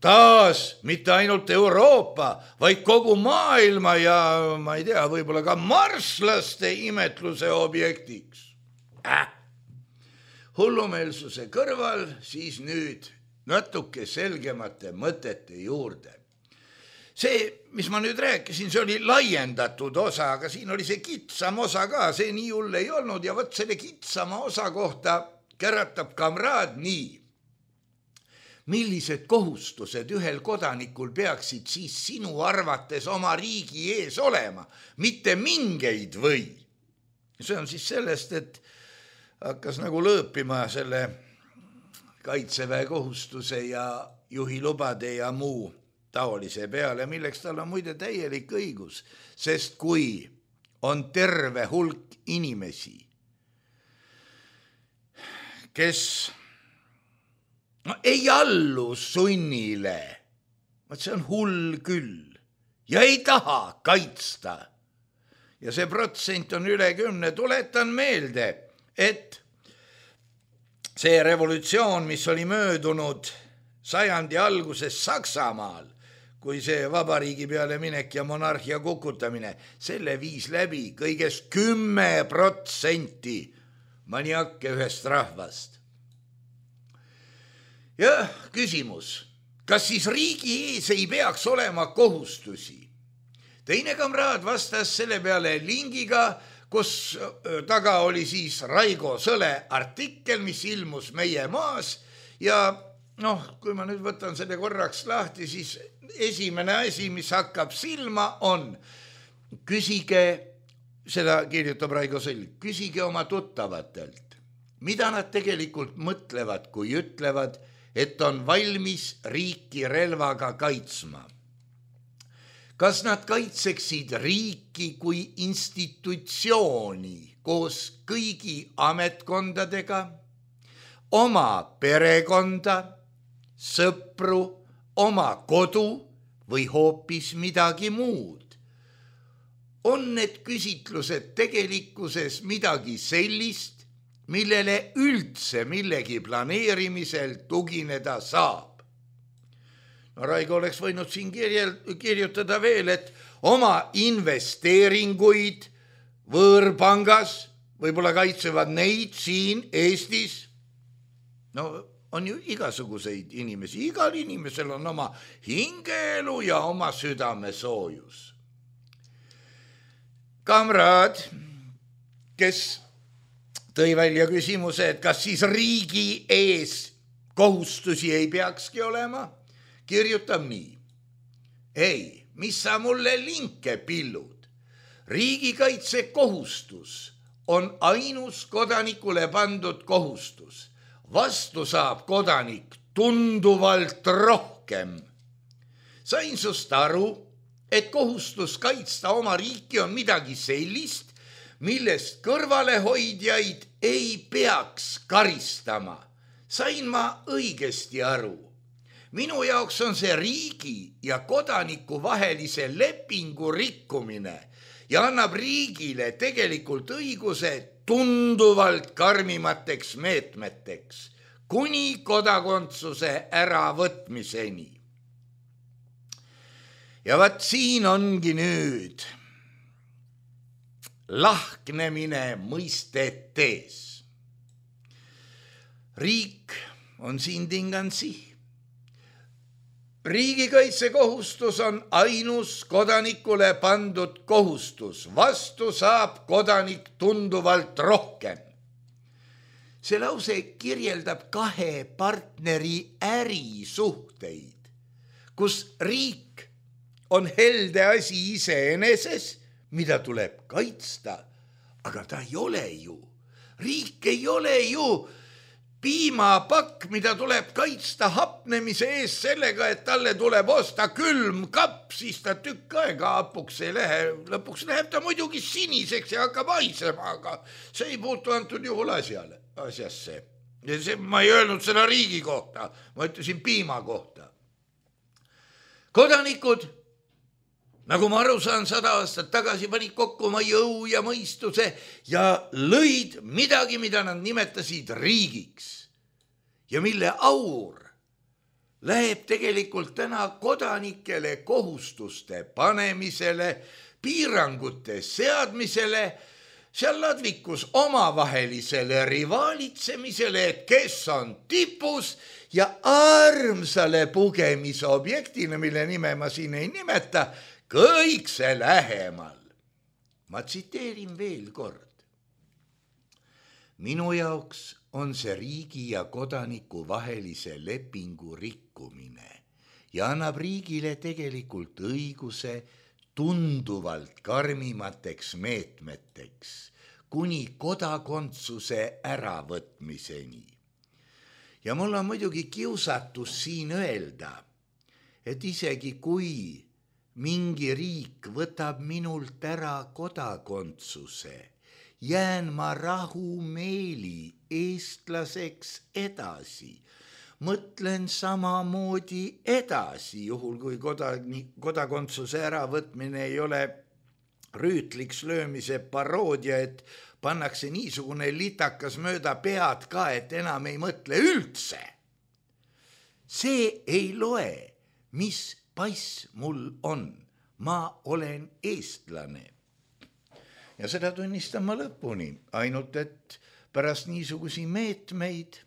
taas mitte ainult Euroopa, vaid kogu maailma ja ma ei tea, võib-olla ka marslaste imetluse objektiks. Äh. Hullumeelsuse kõrval siis nüüd natuke selgemate mõtete juurde. See, mis ma nüüd rääkisin, see oli laiendatud osa, aga siin oli see kitsam osa ka, see nii hull ei olnud ja võt selle kitsama osa kohta käratab kamraad nii. Millised kohustused ühel kodanikul peaksid siis sinu arvates oma riigi ees olema, mitte mingeid või? See on siis sellest, et hakkas nagu lõõpima selle kaitseväe kohustuse ja juhilubade ja muu taolise peale, milleks tal on muide täielik õigus, sest kui on terve hulk inimesi, kes no, ei allu sunnile, see on hull küll ja ei taha kaitsta ja see protsent on üle kümne, tuletan meelde, et see revolutsioon, mis oli möödunud sajandi alguses Saksamaal, kui see vabariigi peale minek ja monarhia kukutamine, selle viis läbi kõigest kümme protsenti maniakke ühest rahvast. Ja küsimus, kas siis riigi ees ei peaks olema kohustusi? Teine kamraad vastas selle peale lingiga, kus taga oli siis Raigo Sõle artikkel, mis ilmus Meie maas ja noh, kui ma nüüd võtan selle korraks lahti, siis esimene asi, mis hakkab silma on, küsige, seda kirjutab Raigo Sõll, küsige oma tuttavatelt, mida nad tegelikult mõtlevad, kui ütlevad, et on valmis riiki relvaga kaitsma. Kas nad kaitseksid riiki kui institutsiooni koos kõigi ametkondadega, oma perekonda, sõpru, oma kodu või hoopis midagi muud? On need küsitlused tegelikkuses midagi sellist, millele üldse millegi planeerimisel tugineda saab? No Raigo oleks võinud siin kirjel, kirjutada veel, et oma investeeringuid võõrpangas võib-olla kaitsevad neid siin Eestis. No on ju igasuguseid inimesi, igal inimesel on oma hingeelu ja oma südamesoojus. Kamraad, kes tõi välja küsimuse, et kas siis riigi ees kohustusi ei peakski olema, kirjutab nii. Ei, mis sa mulle linke pillud? Riigikaitse kohustus on ainus kodanikule pandud kohustus. Vastu saab kodanik tunduvalt rohkem. Sain sust aru, et kohustus kaitsta oma riiki on midagi sellist, millest kõrvalehoidjaid ei peaks karistama. Sain ma õigesti aru? Minu jaoks on see riigi ja kodaniku vahelise lepingu rikkumine ja annab riigile tegelikult õiguse tunduvalt karmimateks meetmeteks kuni kodakondsuse äravõtmiseni. Ja vaat siin ongi nüüd lahknemine mõistetes. Riik on siin tingansi. Riigikaitsekohustus on ainus kodanikule pandud kohustus. Vastu saab kodanik tunduvalt rohkem. See lause kirjeldab kahe partneri ärisuhteid, kus riik on helde asi iseeneses, mida tuleb kaitsta, aga ta ei ole ju. Riik ei ole ju piimapakk, mida tuleb kaitsta hapnemise ees sellega, et talle tuleb osta külm kapp, siis ta tükk aega hapuks ei lähe. Lõpuks läheb ta muidugi siniseks ja hakkab haisema, aga see ei puutu antud juhul asjale, asjasse. Ja see, ma ei öelnud seda riigi kohta, ma ütlesin piima kohta. Kodanikud, nagu ma aru saan, sada aastat tagasi panid kokku oma jõu ja mõistuse ja lõid midagi, mida nad nimetasid riigiks ja mille aur läheb tegelikult täna kodanikele kohustuste panemisele, piirangute seadmisele, seal ladvikus omavahelisele rivaalitsemisele, et kes on tipus ja armsale pugemise objektina, mille nime ma siin ei nimeta, kõik see lähemal. Ma tsiteerin veel kord. Minu jaoks on see riigi ja kodaniku vahelise lepingu rikkumine ja annab riigile tegelikult õiguse tunduvalt karmimateks meetmeteks kuni kodakondsuse äravõtmiseni. Ja mul on muidugi kiusatus siin öelda, et isegi kui mingi riik võtab minult ära kodakondsuse, jään ma rahumeeli eestlaseks edasi. Mõtlen samamoodi edasi, juhul kui kodakondsuse äravõtmine ei ole rüütliks löömise paroodia, et pannakse niisugune litakas mööda pead ka, et enam ei mõtle üldse. See ei loe, mis pass mul on. Ma olen eestlane. Ja seda tunnistan ma lõpuni, ainult et pärast niisugusi meetmeid,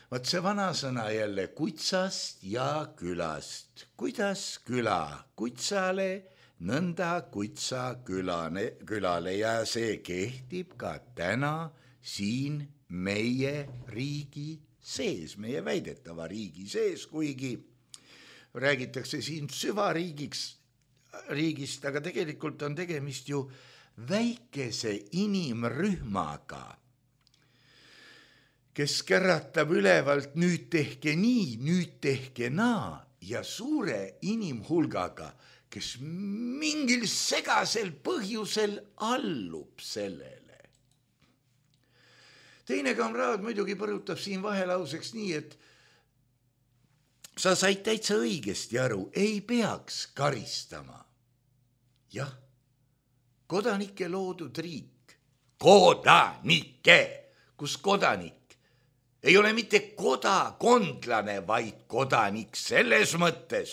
vaat see vanasõna jälle kutsast ja külast. Kuidas küla kutsale, nõnda kutsa külane, külale ja see kehtib ka täna siin meie riigi sees, meie väidetava riigi sees, kuigi räägitakse siin süvariigiks riigist, aga tegelikult on tegemist ju väikese inimrühmaga, kes kerratab ülevalt nüüd tehke nii, nüüd tehke naa ja suure inimhulgaga, kes mingil segasel põhjusel allub sellele. Teine kamraad muidugi põrutab siin vahelauseks nii, et sa said täitsa õigesti aru, ei peaks karistama. Jah, kodanike loodud riik, kodanike, kus kodanik ei ole mitte kodakondlane, vaid kodanik selles mõttes,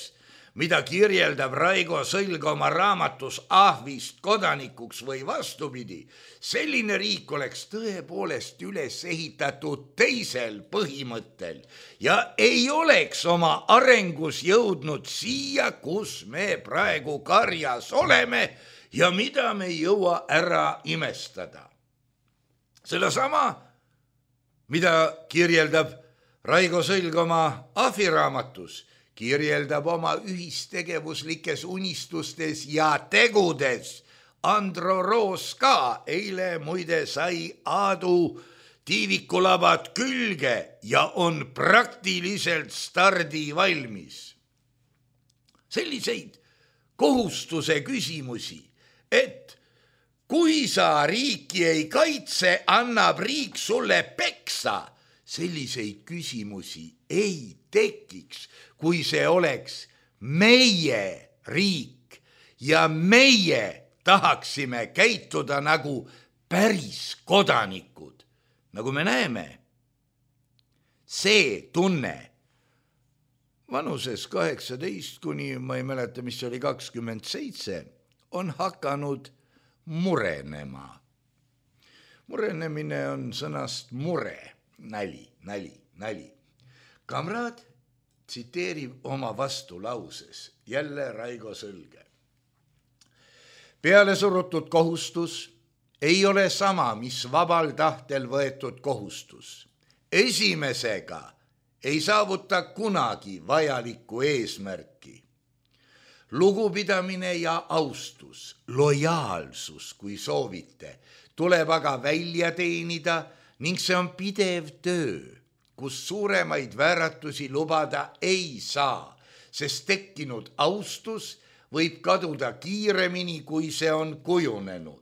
mida kirjeldab Raigo Sõlg oma raamatus Ahvist kodanikuks või vastupidi. Selline riik oleks tõepoolest üles ehitatud teisel põhimõttel ja ei oleks oma arengus jõudnud siia, kus me praegu karjas oleme ja mida me ei jõua ära imestada. Seda sama, mida kirjeldab Raigo Sõlg oma Ahvi raamatus, kirjeldab oma ühistegevuslikes unistustes ja tegudes. Andro Roos ka eile muide sai Aadu tiivikulabad külge ja on praktiliselt stardi valmis. Selliseid kohustuse küsimusi, et kui sa riiki ei kaitse, annab riik sulle peksa, selliseid küsimusi ei tekiks, kui see oleks meie riik ja meie tahaksime käituda nagu päris kodanikud. Nagu me näeme, see tunne vanuses kaheksateist kuni, ma ei mäleta, mis oli kakskümmend seitse, on hakanud murenema. Murenemine on sõnast mure, näli, näli, näli. Kamraad tsiteerib oma vastulauses, jälle Raigo Sõlge. Peale surutud kohustus ei ole sama, mis vabal tahtel võetud kohustus. Esimesega ei saavuta kunagi vajalikku eesmärki. Lugupidamine ja austus, lojaalsus, kui soovite, tuleb aga välja teenida ning see on pidev töö, kus suuremaid vääratusi lubada ei saa, sest tekkinud austus võib kaduda kiiremini, kui see on kujunenud.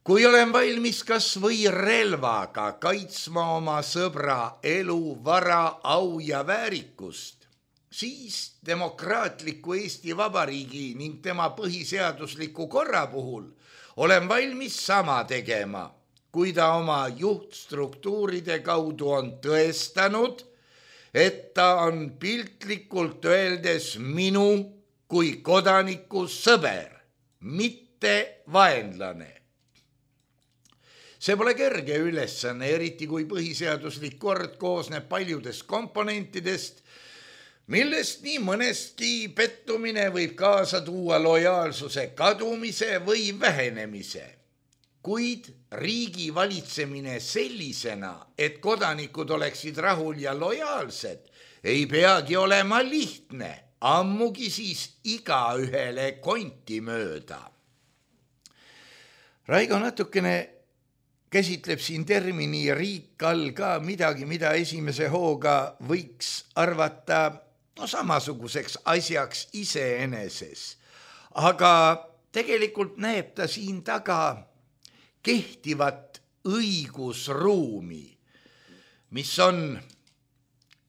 Kui olen valmis kas või relvaga kaitsma oma sõbra elu, vara, au ja väärikust, siis demokraatliku Eesti Vabariigi ning tema põhiseadusliku korra puhul olen valmis sama tegema, kui ta oma juhtstruktuuride kaudu on tõestanud, et ta on piltlikult öeldes minu kui kodaniku sõber, mitte vaenlane. See pole kerge ülesanne, eriti kui põhiseaduslik kord koosneb paljudest komponentidest, millest nii mõnestki pettumine võib kaasa tuua lojaalsuse kadumise või vähenemise. Kuid riigi valitsemine sellisena, et kodanikud oleksid rahul ja lojaalsed, ei peagi olema lihtne, ammugi siis igaühele konti mööda. Raigo natukene käsitleb siin termini riik all ka midagi, mida esimese hooga võiks arvata no, samasuguseks asjaks iseeneses. Aga tegelikult näeb ta siin taga kehtivat õigusruumi, mis on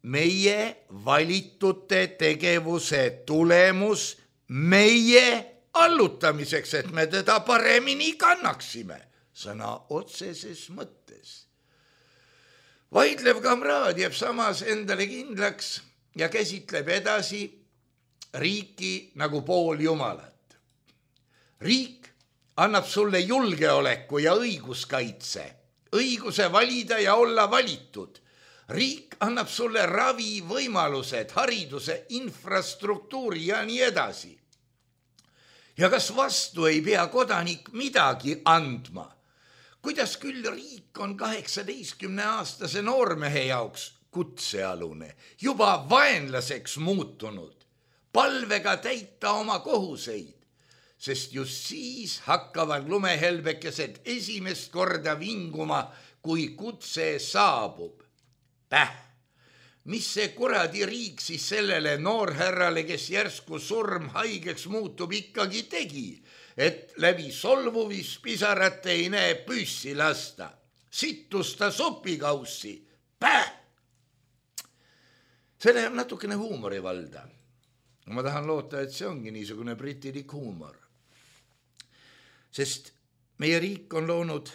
meie valitute tegevuse tulemus meie allutamiseks, et me teda paremini kannaksime. Sõna otseses mõttes. Vaidlev kamraad jääb samas endale kindlaks ja käsitleb edasi riiki nagu pool jumalat. Riik annab sulle julgeoleku ja õiguskaitse, õiguse valida ja olla valitud. Riik annab sulle ravi võimalused, hariduse, infrastruktuuri ja nii edasi. Ja kas vastu ei pea kodanik midagi andma? Kuidas küll riik on kaheksateistkümne aastase noormehe jaoks kutsealune, juba vaenlaseks muutunud, palvega täita oma kohuseid, sest just siis hakkavad lumehelbekesed esimest korda vinguma, kui kutse saabub. Päh, mis see kuradi riik siis sellele noorhärrale, kes järsku surm haigeks muutub, ikkagi tegi, et läbi solvuvis pisarate ei näe püssi lasta. Sittusta sopikaussi. Päh! See läheb natukene huumorivalda. Ma tahan loota, et see ongi niisugune britilik huumor. Sest meie riik on loonud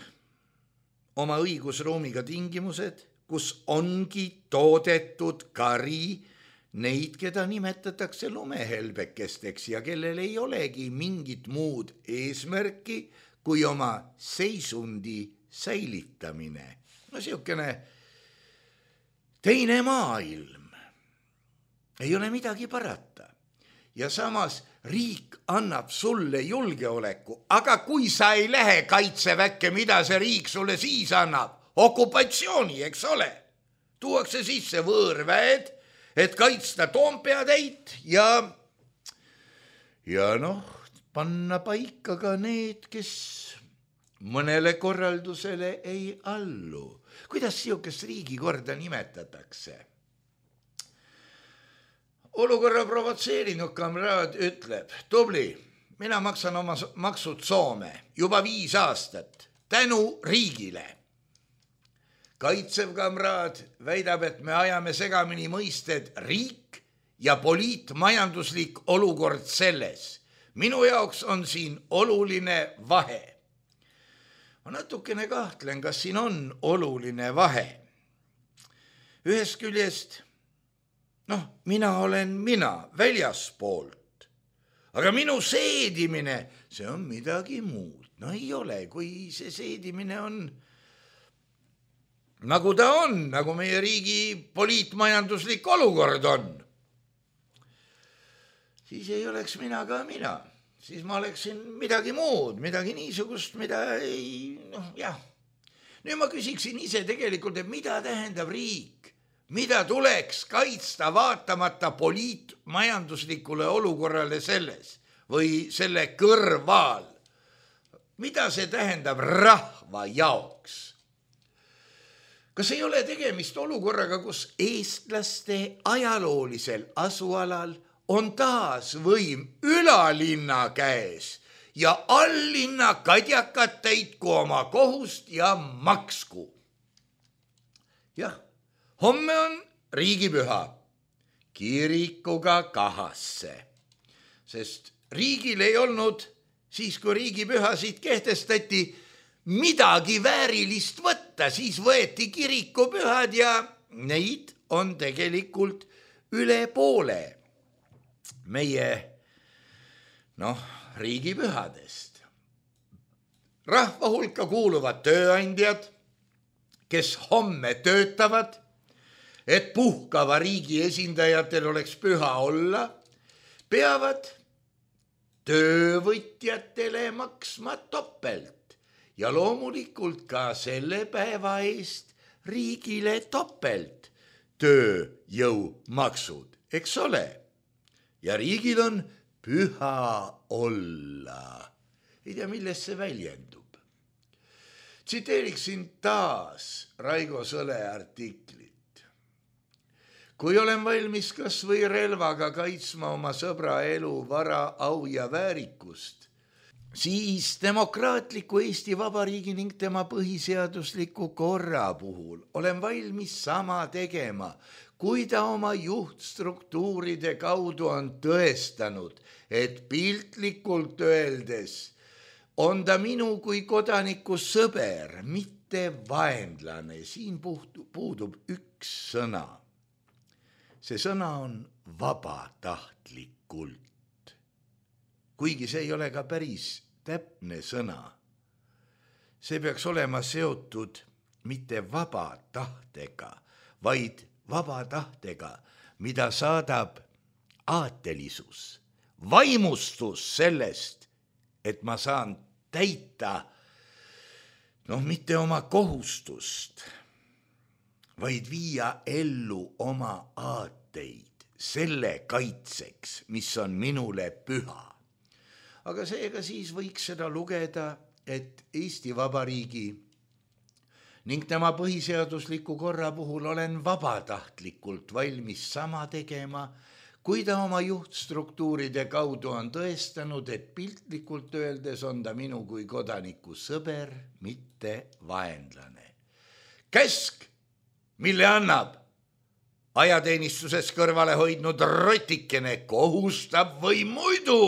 oma õigusruumiga tingimused, kus ongi toodetud kari neid, keda nimetatakse lumehelbekesteks ja kellel ei olegi mingit muud eesmärki kui oma seisundi säilitamine. No siukene teine maailm. Ei ole midagi parata. Ja samas riik annab sulle julgeoleku, aga kui sa ei lähe kaitseväkke, mida see riik sulle siis annab? Okupatsiooni, eks ole. Tuuakse sisse võõrväed, et kaitsta Toompeatäit ja, ja noh, panna paika ka need, kes mõnele korraldusele ei allu. Kuidas siukest riigikorda nimetatakse? Olukorra provotseerinud kamraad ütleb, tubli, mina maksan oma maksud Soome juba viis aastat tänu riigile. kaitsev kamraad väidab, et me ajame segamini mõisted riik ja poliitmajanduslik olukord selles. Minu jaoks on siin oluline vahe. Ma natukene kahtlen, kas siin on oluline vahe. Ühest küljest, noh, mina olen mina väljaspoolt, aga minu seedimine, see on midagi muud. No ei ole, kui see seedimine on nagu ta on, nagu meie riigi poliitmajanduslik olukord on. Siis ei oleks mina ka mina. Siis ma oleksin midagi muud, midagi niisugust, mida ei, noh, jah. Nüüd ma küsiksin ise tegelikult, et mida tähendab riik? Mida tuleks kaitsta vaatamata poliitmajanduslikule olukorrale selles või selle kõrval? Mida see tähendab rahva jaoks? Kas ei ole tegemist olukorraga, kus eestlaste ajaloolisel asualal on taas võim ülalinna käes ja alllinna kadjakad täitku oma kohust ja maksku? Jah, homme on riigipüha, kirikuga kahasse, sest riigil ei olnud siis, kui riigipühasid kehtestati, midagi väärilist võtta, siis võeti kirikupühad ja neid on tegelikult üle poole meie, noh, riigipühadest. Rahva hulka kuuluvad tööandjad, kes homme töötavad, et puhkava riigi esindajatel oleks püha olla, peavad töövõtjatele maksma topelt. Ja loomulikult ka selle päeva eest riigile topelt tööjõumaksud, eks ole? Ja riigil on püha olla. Ei tea, milles see väljendub. Tsiteeriksin taas Raigo Sõle artiklit. Kui olen valmis kas või relvaga kaitsma oma sõbra elu, vara, au ja väärikust, siis demokraatliku Eesti Vabariigi ning tema põhiseadusliku korra puhul olen valmis sama tegema, kui ta oma juhtstruktuuride kaudu on tõestanud, et piltlikult öeldes on ta minu kui kodaniku sõber, mitte vaenlane. Siin puudub üks sõna. See sõna on vabatahtlikult. Kuigi see ei ole ka päris täpne sõna. See peaks olema seotud mitte vaba tahtega, vaid vaba tahtega, mida saadab aatelisus, vaimustus sellest, et ma saan täita, noh, mitte oma kohustust, vaid viia ellu oma aateid selle kaitseks, mis on minule püha. Aga seega siis võiks seda lugeda, et Eesti Vabariigi ning tema põhiseadusliku korra puhul olen vabatahtlikult valmis sama tegema, kui ta oma juhtstruktuuride kaudu on tõestanud, et piltlikult öeldes on ta minu kui kodaniku sõber, mitte vaenlane. Käsk, mille annab ajateenistuses kõrvale hoidnud rotikene, kohustab või muidu?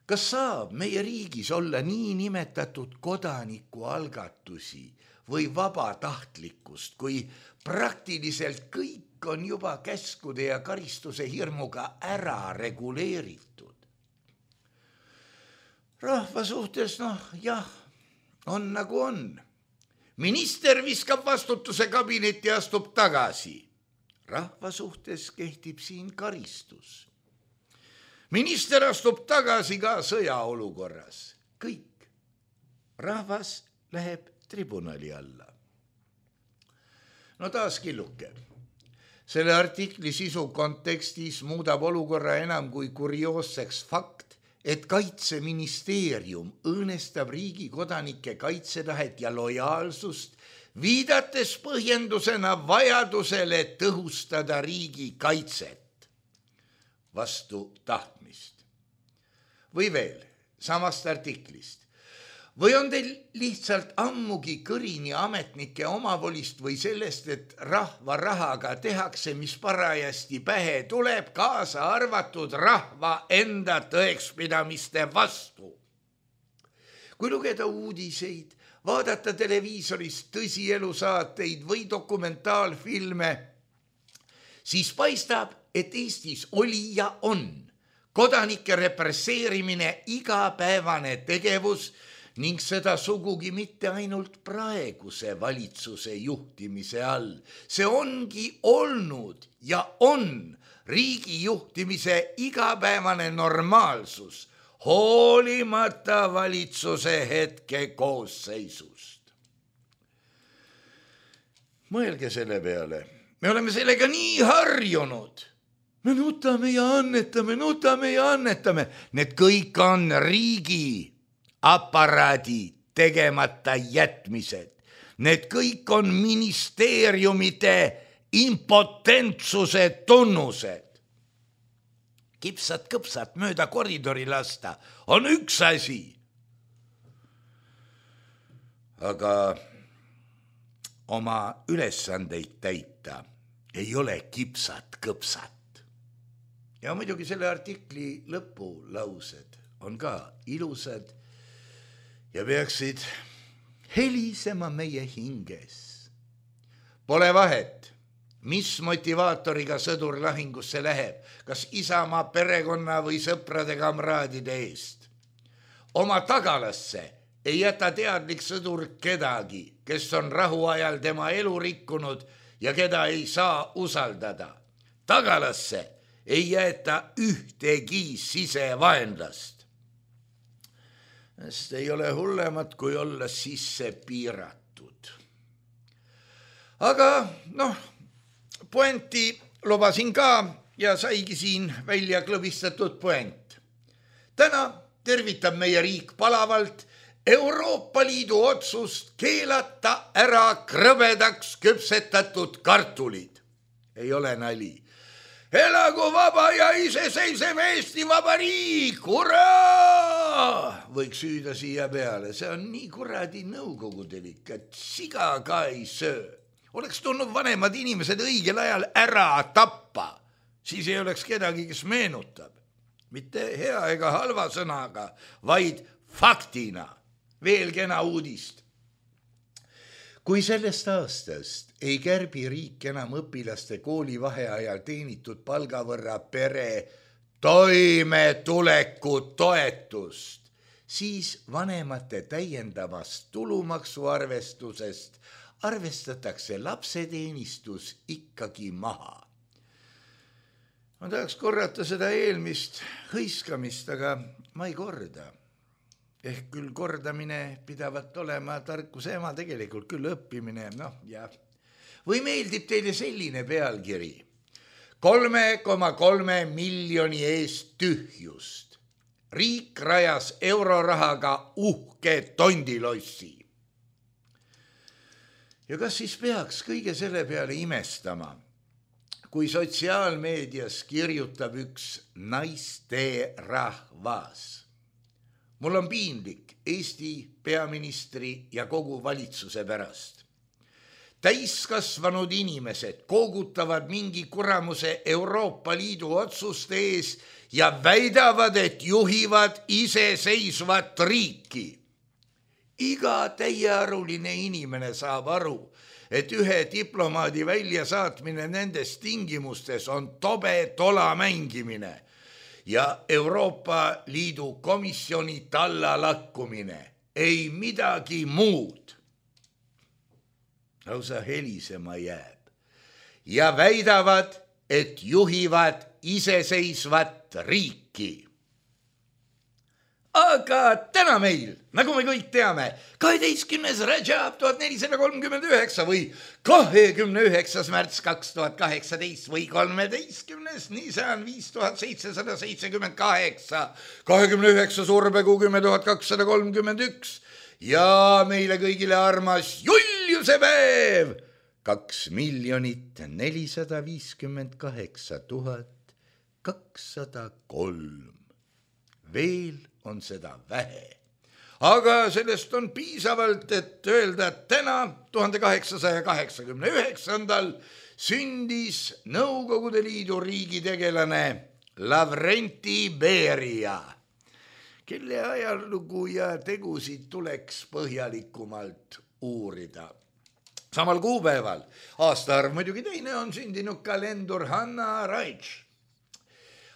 Kas saab meie riigis olla nii nimetatud kodanikualgatusi või vabatahtlikkust, kui praktiliselt kõik on juba käskude ja karistuse hirmuga ära reguleeritud? Rahva suhtes, noh, jah, on nagu on. Minister viskab vastutuse kabinetti ja astub tagasi. Rahva suhtes kehtib siin karistus. Minister astub tagasi ka sõjaolukorras. Kõik. Rahvas läheb tribunali alla. No taas killuke. Selle artikli sisu kontekstis muudab olukorra enam kui kurioosseks fakt, et Kaitseministeerium õõnestab riigi kodanike kaitsetahet ja lojaalsust, viidates põhjendusena vajadusele tõhustada riigi kaitset vastu tahtmist. Või veel, samast artiklist. Või on teil lihtsalt ammugi kõrini ametnike omavolist või sellest, et rahva rahaga tehakse, mis parajasti pähe tuleb, kaasa arvatud rahva enda tõekspidamiste vastu? Kui lugeda uudiseid, vaadata televiisorist tõsielusaateid või dokumentaalfilme, siis paistab, et Eestis oli ja on kodanike represseerimine igapäevane tegevus ning seda sugugi mitte ainult praeguse valitsuse juhtimise all. See ongi olnud ja on riigi juhtimise igapäevane normaalsus, hoolimata valitsuse hetke koosseisust. Mõelge selle peale, me oleme sellega nii harjunud. Me nutame ja annetame, nutame ja annetame. Need kõik on riigi aparaadi tegemata jätmised. Need kõik on ministeeriumide impotentsuse tunnused. Kipsat kõpsat mööda koridori lasta on üks asi. Aga oma ülesandeid täita ei ole kipsat kõpsat. Ja muidugi selle artikli lõpulaused on ka ilusad ja peaksid helisema meie hinges. Pole vahet, mis motivaatoriga sõdur lahingusse läheb, kas Isamaa perekonna või sõprade kamraadide eest. Oma tagalasse ei jäta teadlik sõdur kedagi, kes on rahuajal tema elu rikkunud ja keda ei saa usaldada. Tagalasse ei jäeta ühtegi sisevaenlast. Sest ei ole hullemat, kui olla sisse piiratud. Aga noh, poenti lubasin ka ja saigi siin välja klõbistatud poent. Täna tervitab meie riik palavalt Euroopa Liidu otsust keelata ära krõbedaks küpsetatud kartulid. Ei ole nali. Elagu vaba ja iseseisev Eesti Vabariik, hurraa! Võiks süüda siia peale, see on nii kuradi nõukogudelik, et siga ka ei söö. Oleks tulnud vanemad inimesed õigel ajal ära tappa, siis ei oleks kedagi, kes meenutab. Mitte hea ega halva sõnaga, vaid faktina. Veel kena uudist. Kui sellest aastast ei kärbi riik enam õpilaste kooli vaheajal teenitud palgavõrra pere toimetuleku toetust, siis vanemate täiendavast tulumaksuarvestusest arvestatakse lapseteenistus ikkagi maha. Ma tahaks korrata seda eelmist hõiskamist, aga ma ei korda. Ehk küll kordamine pidavat olema tarkuse ema, tegelikult küll õppimine, noh ja. Või meeldib teile selline pealkiri? kolme koma kolme miljoni eest tühjust. Riik rajas eurorahaga uhke tondilossi. Ja kas siis peaks kõige selle peale imestama, kui sotsiaalmeedias kirjutab üks naiste rahvas? Mul on piinlik Eesti peaministri ja kogu valitsuse pärast. Täiskasvanud inimesed koogutavad mingi kuramuse Euroopa Liidu otsuste ees ja väidavad, et juhivad iseseisvat riiki. Iga täiearuline inimene saab aru, et ühe diplomaadi väljasaatmine nendes tingimustes on tobe tola mängimine ja Euroopa Liidu komisjoni talla lakkumine, ei midagi muud. Lausa helisema jääb. Ja väidavad, et juhivad iseseisvat riiki. Aga täna meil, nagu me kõik teame, kaheteistkümnes Rajab tuhat nelisada kolmkümmend üheksa või kahekümne üheksas märts kaks tuhat kaheksateist või kolmeteistkümnes Nisan viis tuhat seitsesada seitsekümmend kaheksa, kahekümne üheksa survekuu kümme tuhat kakssada kolmkümmend üks ja meile kõigile armas Juliuse päev kaks miljonit nelisada viiskümmend kaheksa tuhat kakssada kolm. Veel on seda vähe. aga sellest on piisavalt, et öelda, et täna tuhande kaheksasaja kaheksakümne üheksandal sündis Nõukogude Liidu riigitegelane Lavrenti Beria, kelle ajalugu ja tegusid tuleks põhjalikumalt uurida. Samal kuupäeval, aastaarv muidugi teine, on sündinud ka lendur Hanna Raitš.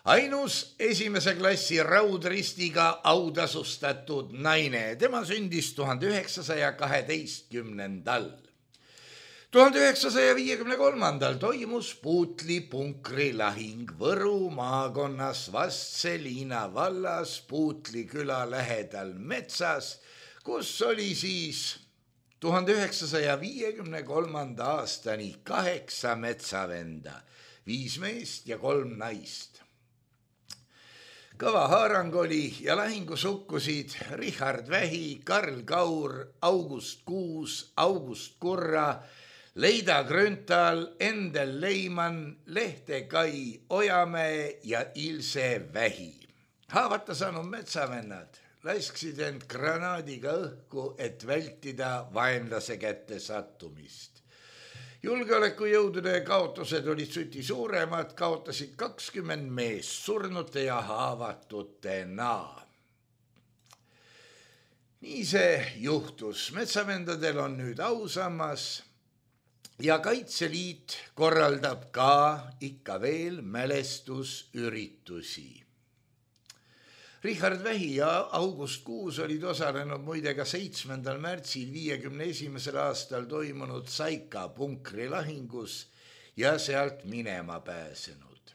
Ainus esimese klassi raudristiga autasustatud naine. Tema sündis tuhande üheksasaja kaheteistkümnendal. tuhande üheksasaja viiekümne kolmandal toimus Puutli punkri lahing Võru maakonnas Vastseliina vallas Puutli küla lähedal metsas, kus oli siis tuhande üheksasaja viiekümne kolmanda aastani kaheksa metsavenda, viis meest ja kolm naist. Kõva haarang oli ja lahingus hukkusid Richard Vähi, Karl Kaur, August Kuus, August Kurra, Leida Grünthal, Endel Leiman, Lehte Kai Ojamäe ja Ilse Vähi. Haavata saanud metsavennad lasksid end granaadiga õhku, et vältida vaenlase kätte sattumist. Julgeolekujõudude kaotused olid suti suuremad, kaotasid kakskümmend meest surnute ja haavatutena. Nii see juhtus. Metsavendadel on nüüd ausammas ja Kaitseliit korraldab ka ikka veel mälestusüritusi. Richard Vähi ja August Kuus olid osalenud muide ka seitsmendal märtsil viiekümne esimesel aastal toimunud Saika punkri lahingus ja sealt minema pääsenud.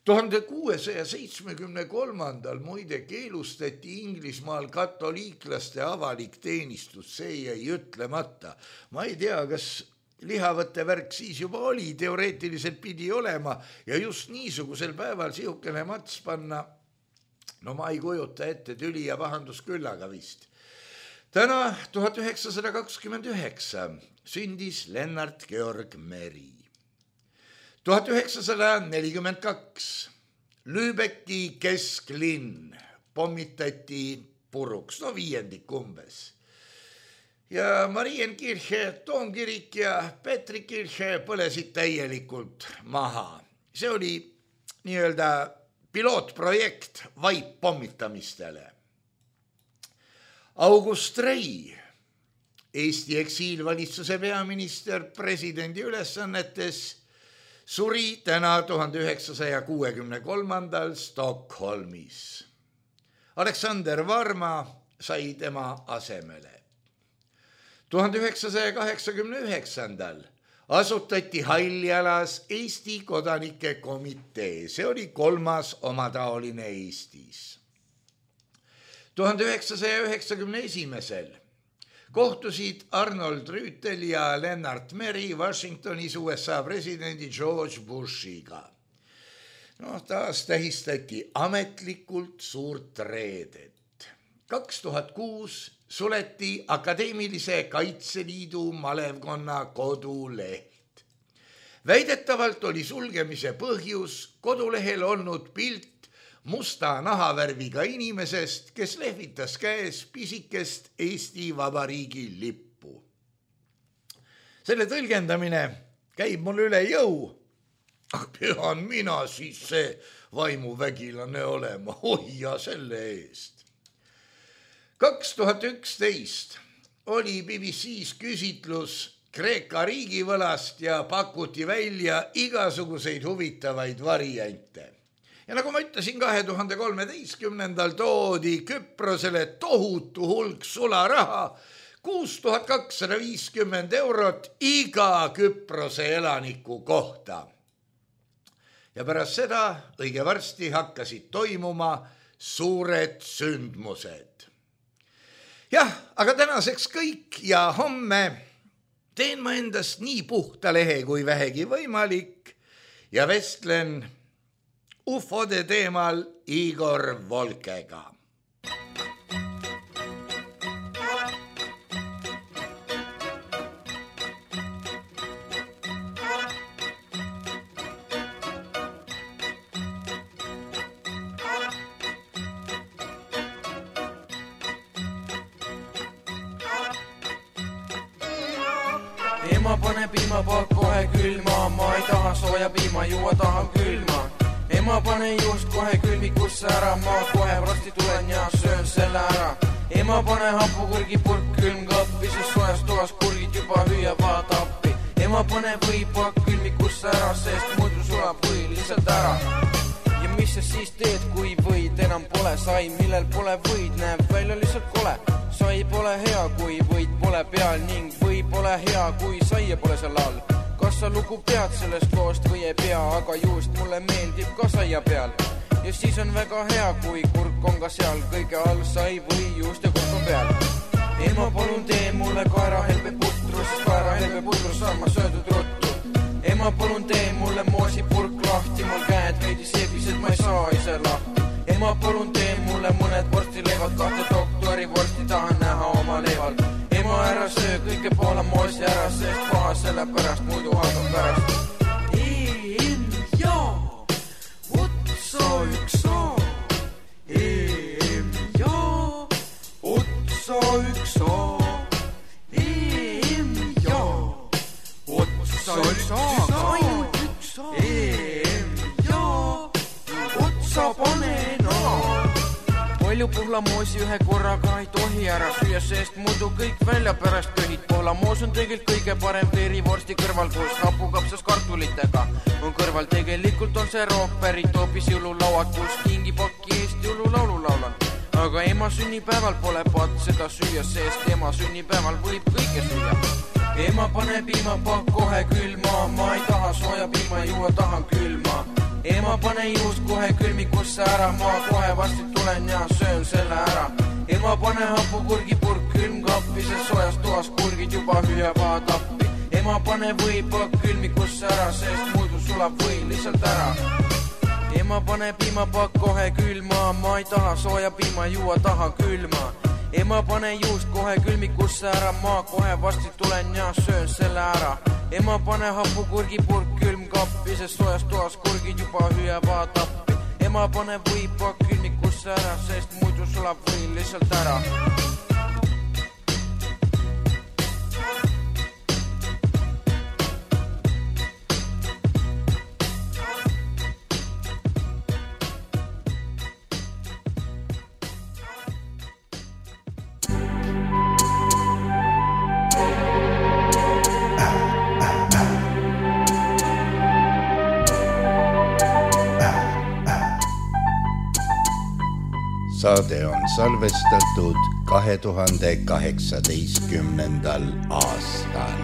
tuhande kuuesaja seitsmekümne kolmandal muide keelustati Inglismaal katoliiklaste avalik teenistus, see jäi ütlemata. Ma ei tea, kas lihavõtte värk siis juba oli, teoreetiliselt pidi olema ja just niisugusel päeval sihukene mats panna. No ma ei kujuta ette, tüli ja pahandus küllaga vist. Täna tuhat üheksasada kakskümmend üheksa sündis Lennart Georg Meri. tuhat üheksasada nelikümmend kaks Lübecki kesklinn pommitati puruks, no viiendik umbes. Ja Marienkirche, Toomkirik ja Petrikirche põlesid täielikult maha. See oli nii-öelda pilootprojekt vaip pommitamistele. August Rei, Eesti eksiilvalitsuse peaminister presidendi ülesannetes, suri täna tuhande üheksasaja kuuekümne kolmandal Stockholmis. Aleksander Varma sai tema asemele. tuhande üheksasaja kaheksakümne üheksandal asutati Haljalas Eesti kodanike komitee. See oli kolmas omataoline Eestis. tuhande üheksasaja üheksakümne esimesel kohtusid Arnold Rüütel ja Lennart Meri Washingtonis U S A presidendi George Bushiga. No, taas tähistati ametlikult suurt reedet. kaks tuhat kuus suleti Akadeemilise Kaitseliidu malevkonna koduleht. Väidetavalt oli sulgemise põhjus kodulehel olnud pilt musta nahavärviga inimesest, kes lehvitas käes pisikest Eesti Vabariigi lippu. Selle tõlgendamine käib mul üle jõu, aga pean mina siis see vaimuvägilane olema, hoia selle eest. kaks tuhat üksteist oli B B C-s küsitlus Kreeka riigivõlast ja pakuti välja igasuguseid huvitavaid variante. Ja nagu ma ütlesin, kahe tuhande kolmeteistkümnendal toodi Küprosele tohutu hulk sularaha, kuus tuhat kakssada viiskümmend eurot iga Küprose elaniku kohta. Ja pärast seda õige varsti hakkasid toimuma suured sündmused. Jah, aga tänaseks kõik ja homme teen ma endast nii puhta lehe kui vähegi võimalik ja vestlen ufode teemal Igor Volkega. Ema pane piimapakk kohe külma, ma ei taha sooja piima, juua tahan külma. Ema pane just kohe külmikusse ära, ma kohe varsti tulen ja söön selle ära. Ema pane hapukurgi purk külmkappi, siis soojas toas kurgid juba hüüavad appi. Ema pane võipakk külmikusse ära, sest muidu sulab või lihtsalt ära. Ja mis sa siis teed, kui võid enam pole? Sai, millel pole võid, näeb välja lihtsalt kole. Sai pole hea, kui võid pole peal ning või pole hea, kui saia pole seal all. Kas sa lugu pead sellest loost või ei pea, aga just mulle meeldib ka saia peal. Ja siis on väga hea, kui kurk on ka seal, kõige all sai või just ja kurk on peal. Ema palun tee mulle kaerahelbe putru, sest kaerahelbe putru saan ma söödud ruttu. Ema palun tee mulle moosipurk lahti, mul käed veidi seebised, ma ei saa ise lahti. Ema palun tee mulle mõned vorstileivad, kahte doktori vorsti tahan näha oma leival. Ema ära söö kõike poole moosi ära, sest paha selle pärast, muidu hakkab pärast. E-M ja otsa üks A. E-M ja otsa üks A. E-M ja otsa üks A. Ainult üks A. E-M ja otsa pane naa. Palju pohlamoosi ühe korraga ei tohi ära süüa, sest muidu kõik välja pärast köhid. Pohlamoos on tegelikult kõige parem veerivorsti kõrval, kus hapukapsas kartulitega on kõrval. Tegelikult on see rook pärit hoopis jõululauad, kus kingipakki eest jõululaulu laulan. Aga ema sünnipäeval pole patt seda süüa, sest ema sünnipäeval võib kõike süüa. Ema pane piimapakk kohe külma, ma ei taha sooja piima, juua tahan külma. Ema pane juust kohe külmikusse ära, ma kohe varsti tulen ja söön selle ära. Ema pane hapukurgi purk külmkappi, sest soojas toas kurgid juba hüüavad appi. Ema pane võipakk külmikusse ära, sest muidu sulab või lihtsalt ära. Ema pane piimapakk kohe külma, ma ei taha sooja piima, juua tahan külma. Ema pane juust kohe külmikusse ära, ma kohe varsti tulen ja söön selle ära. Ema pane hapukurgi purk külmkappi, sest soojas toas kurgid juba hüüavad appi. Ema pane võipakk külmikusse ära, sest muidu sulab või lihtsalt ära. Saade on salvestatud kahe tuhande kaheksateistkümnendal aastal.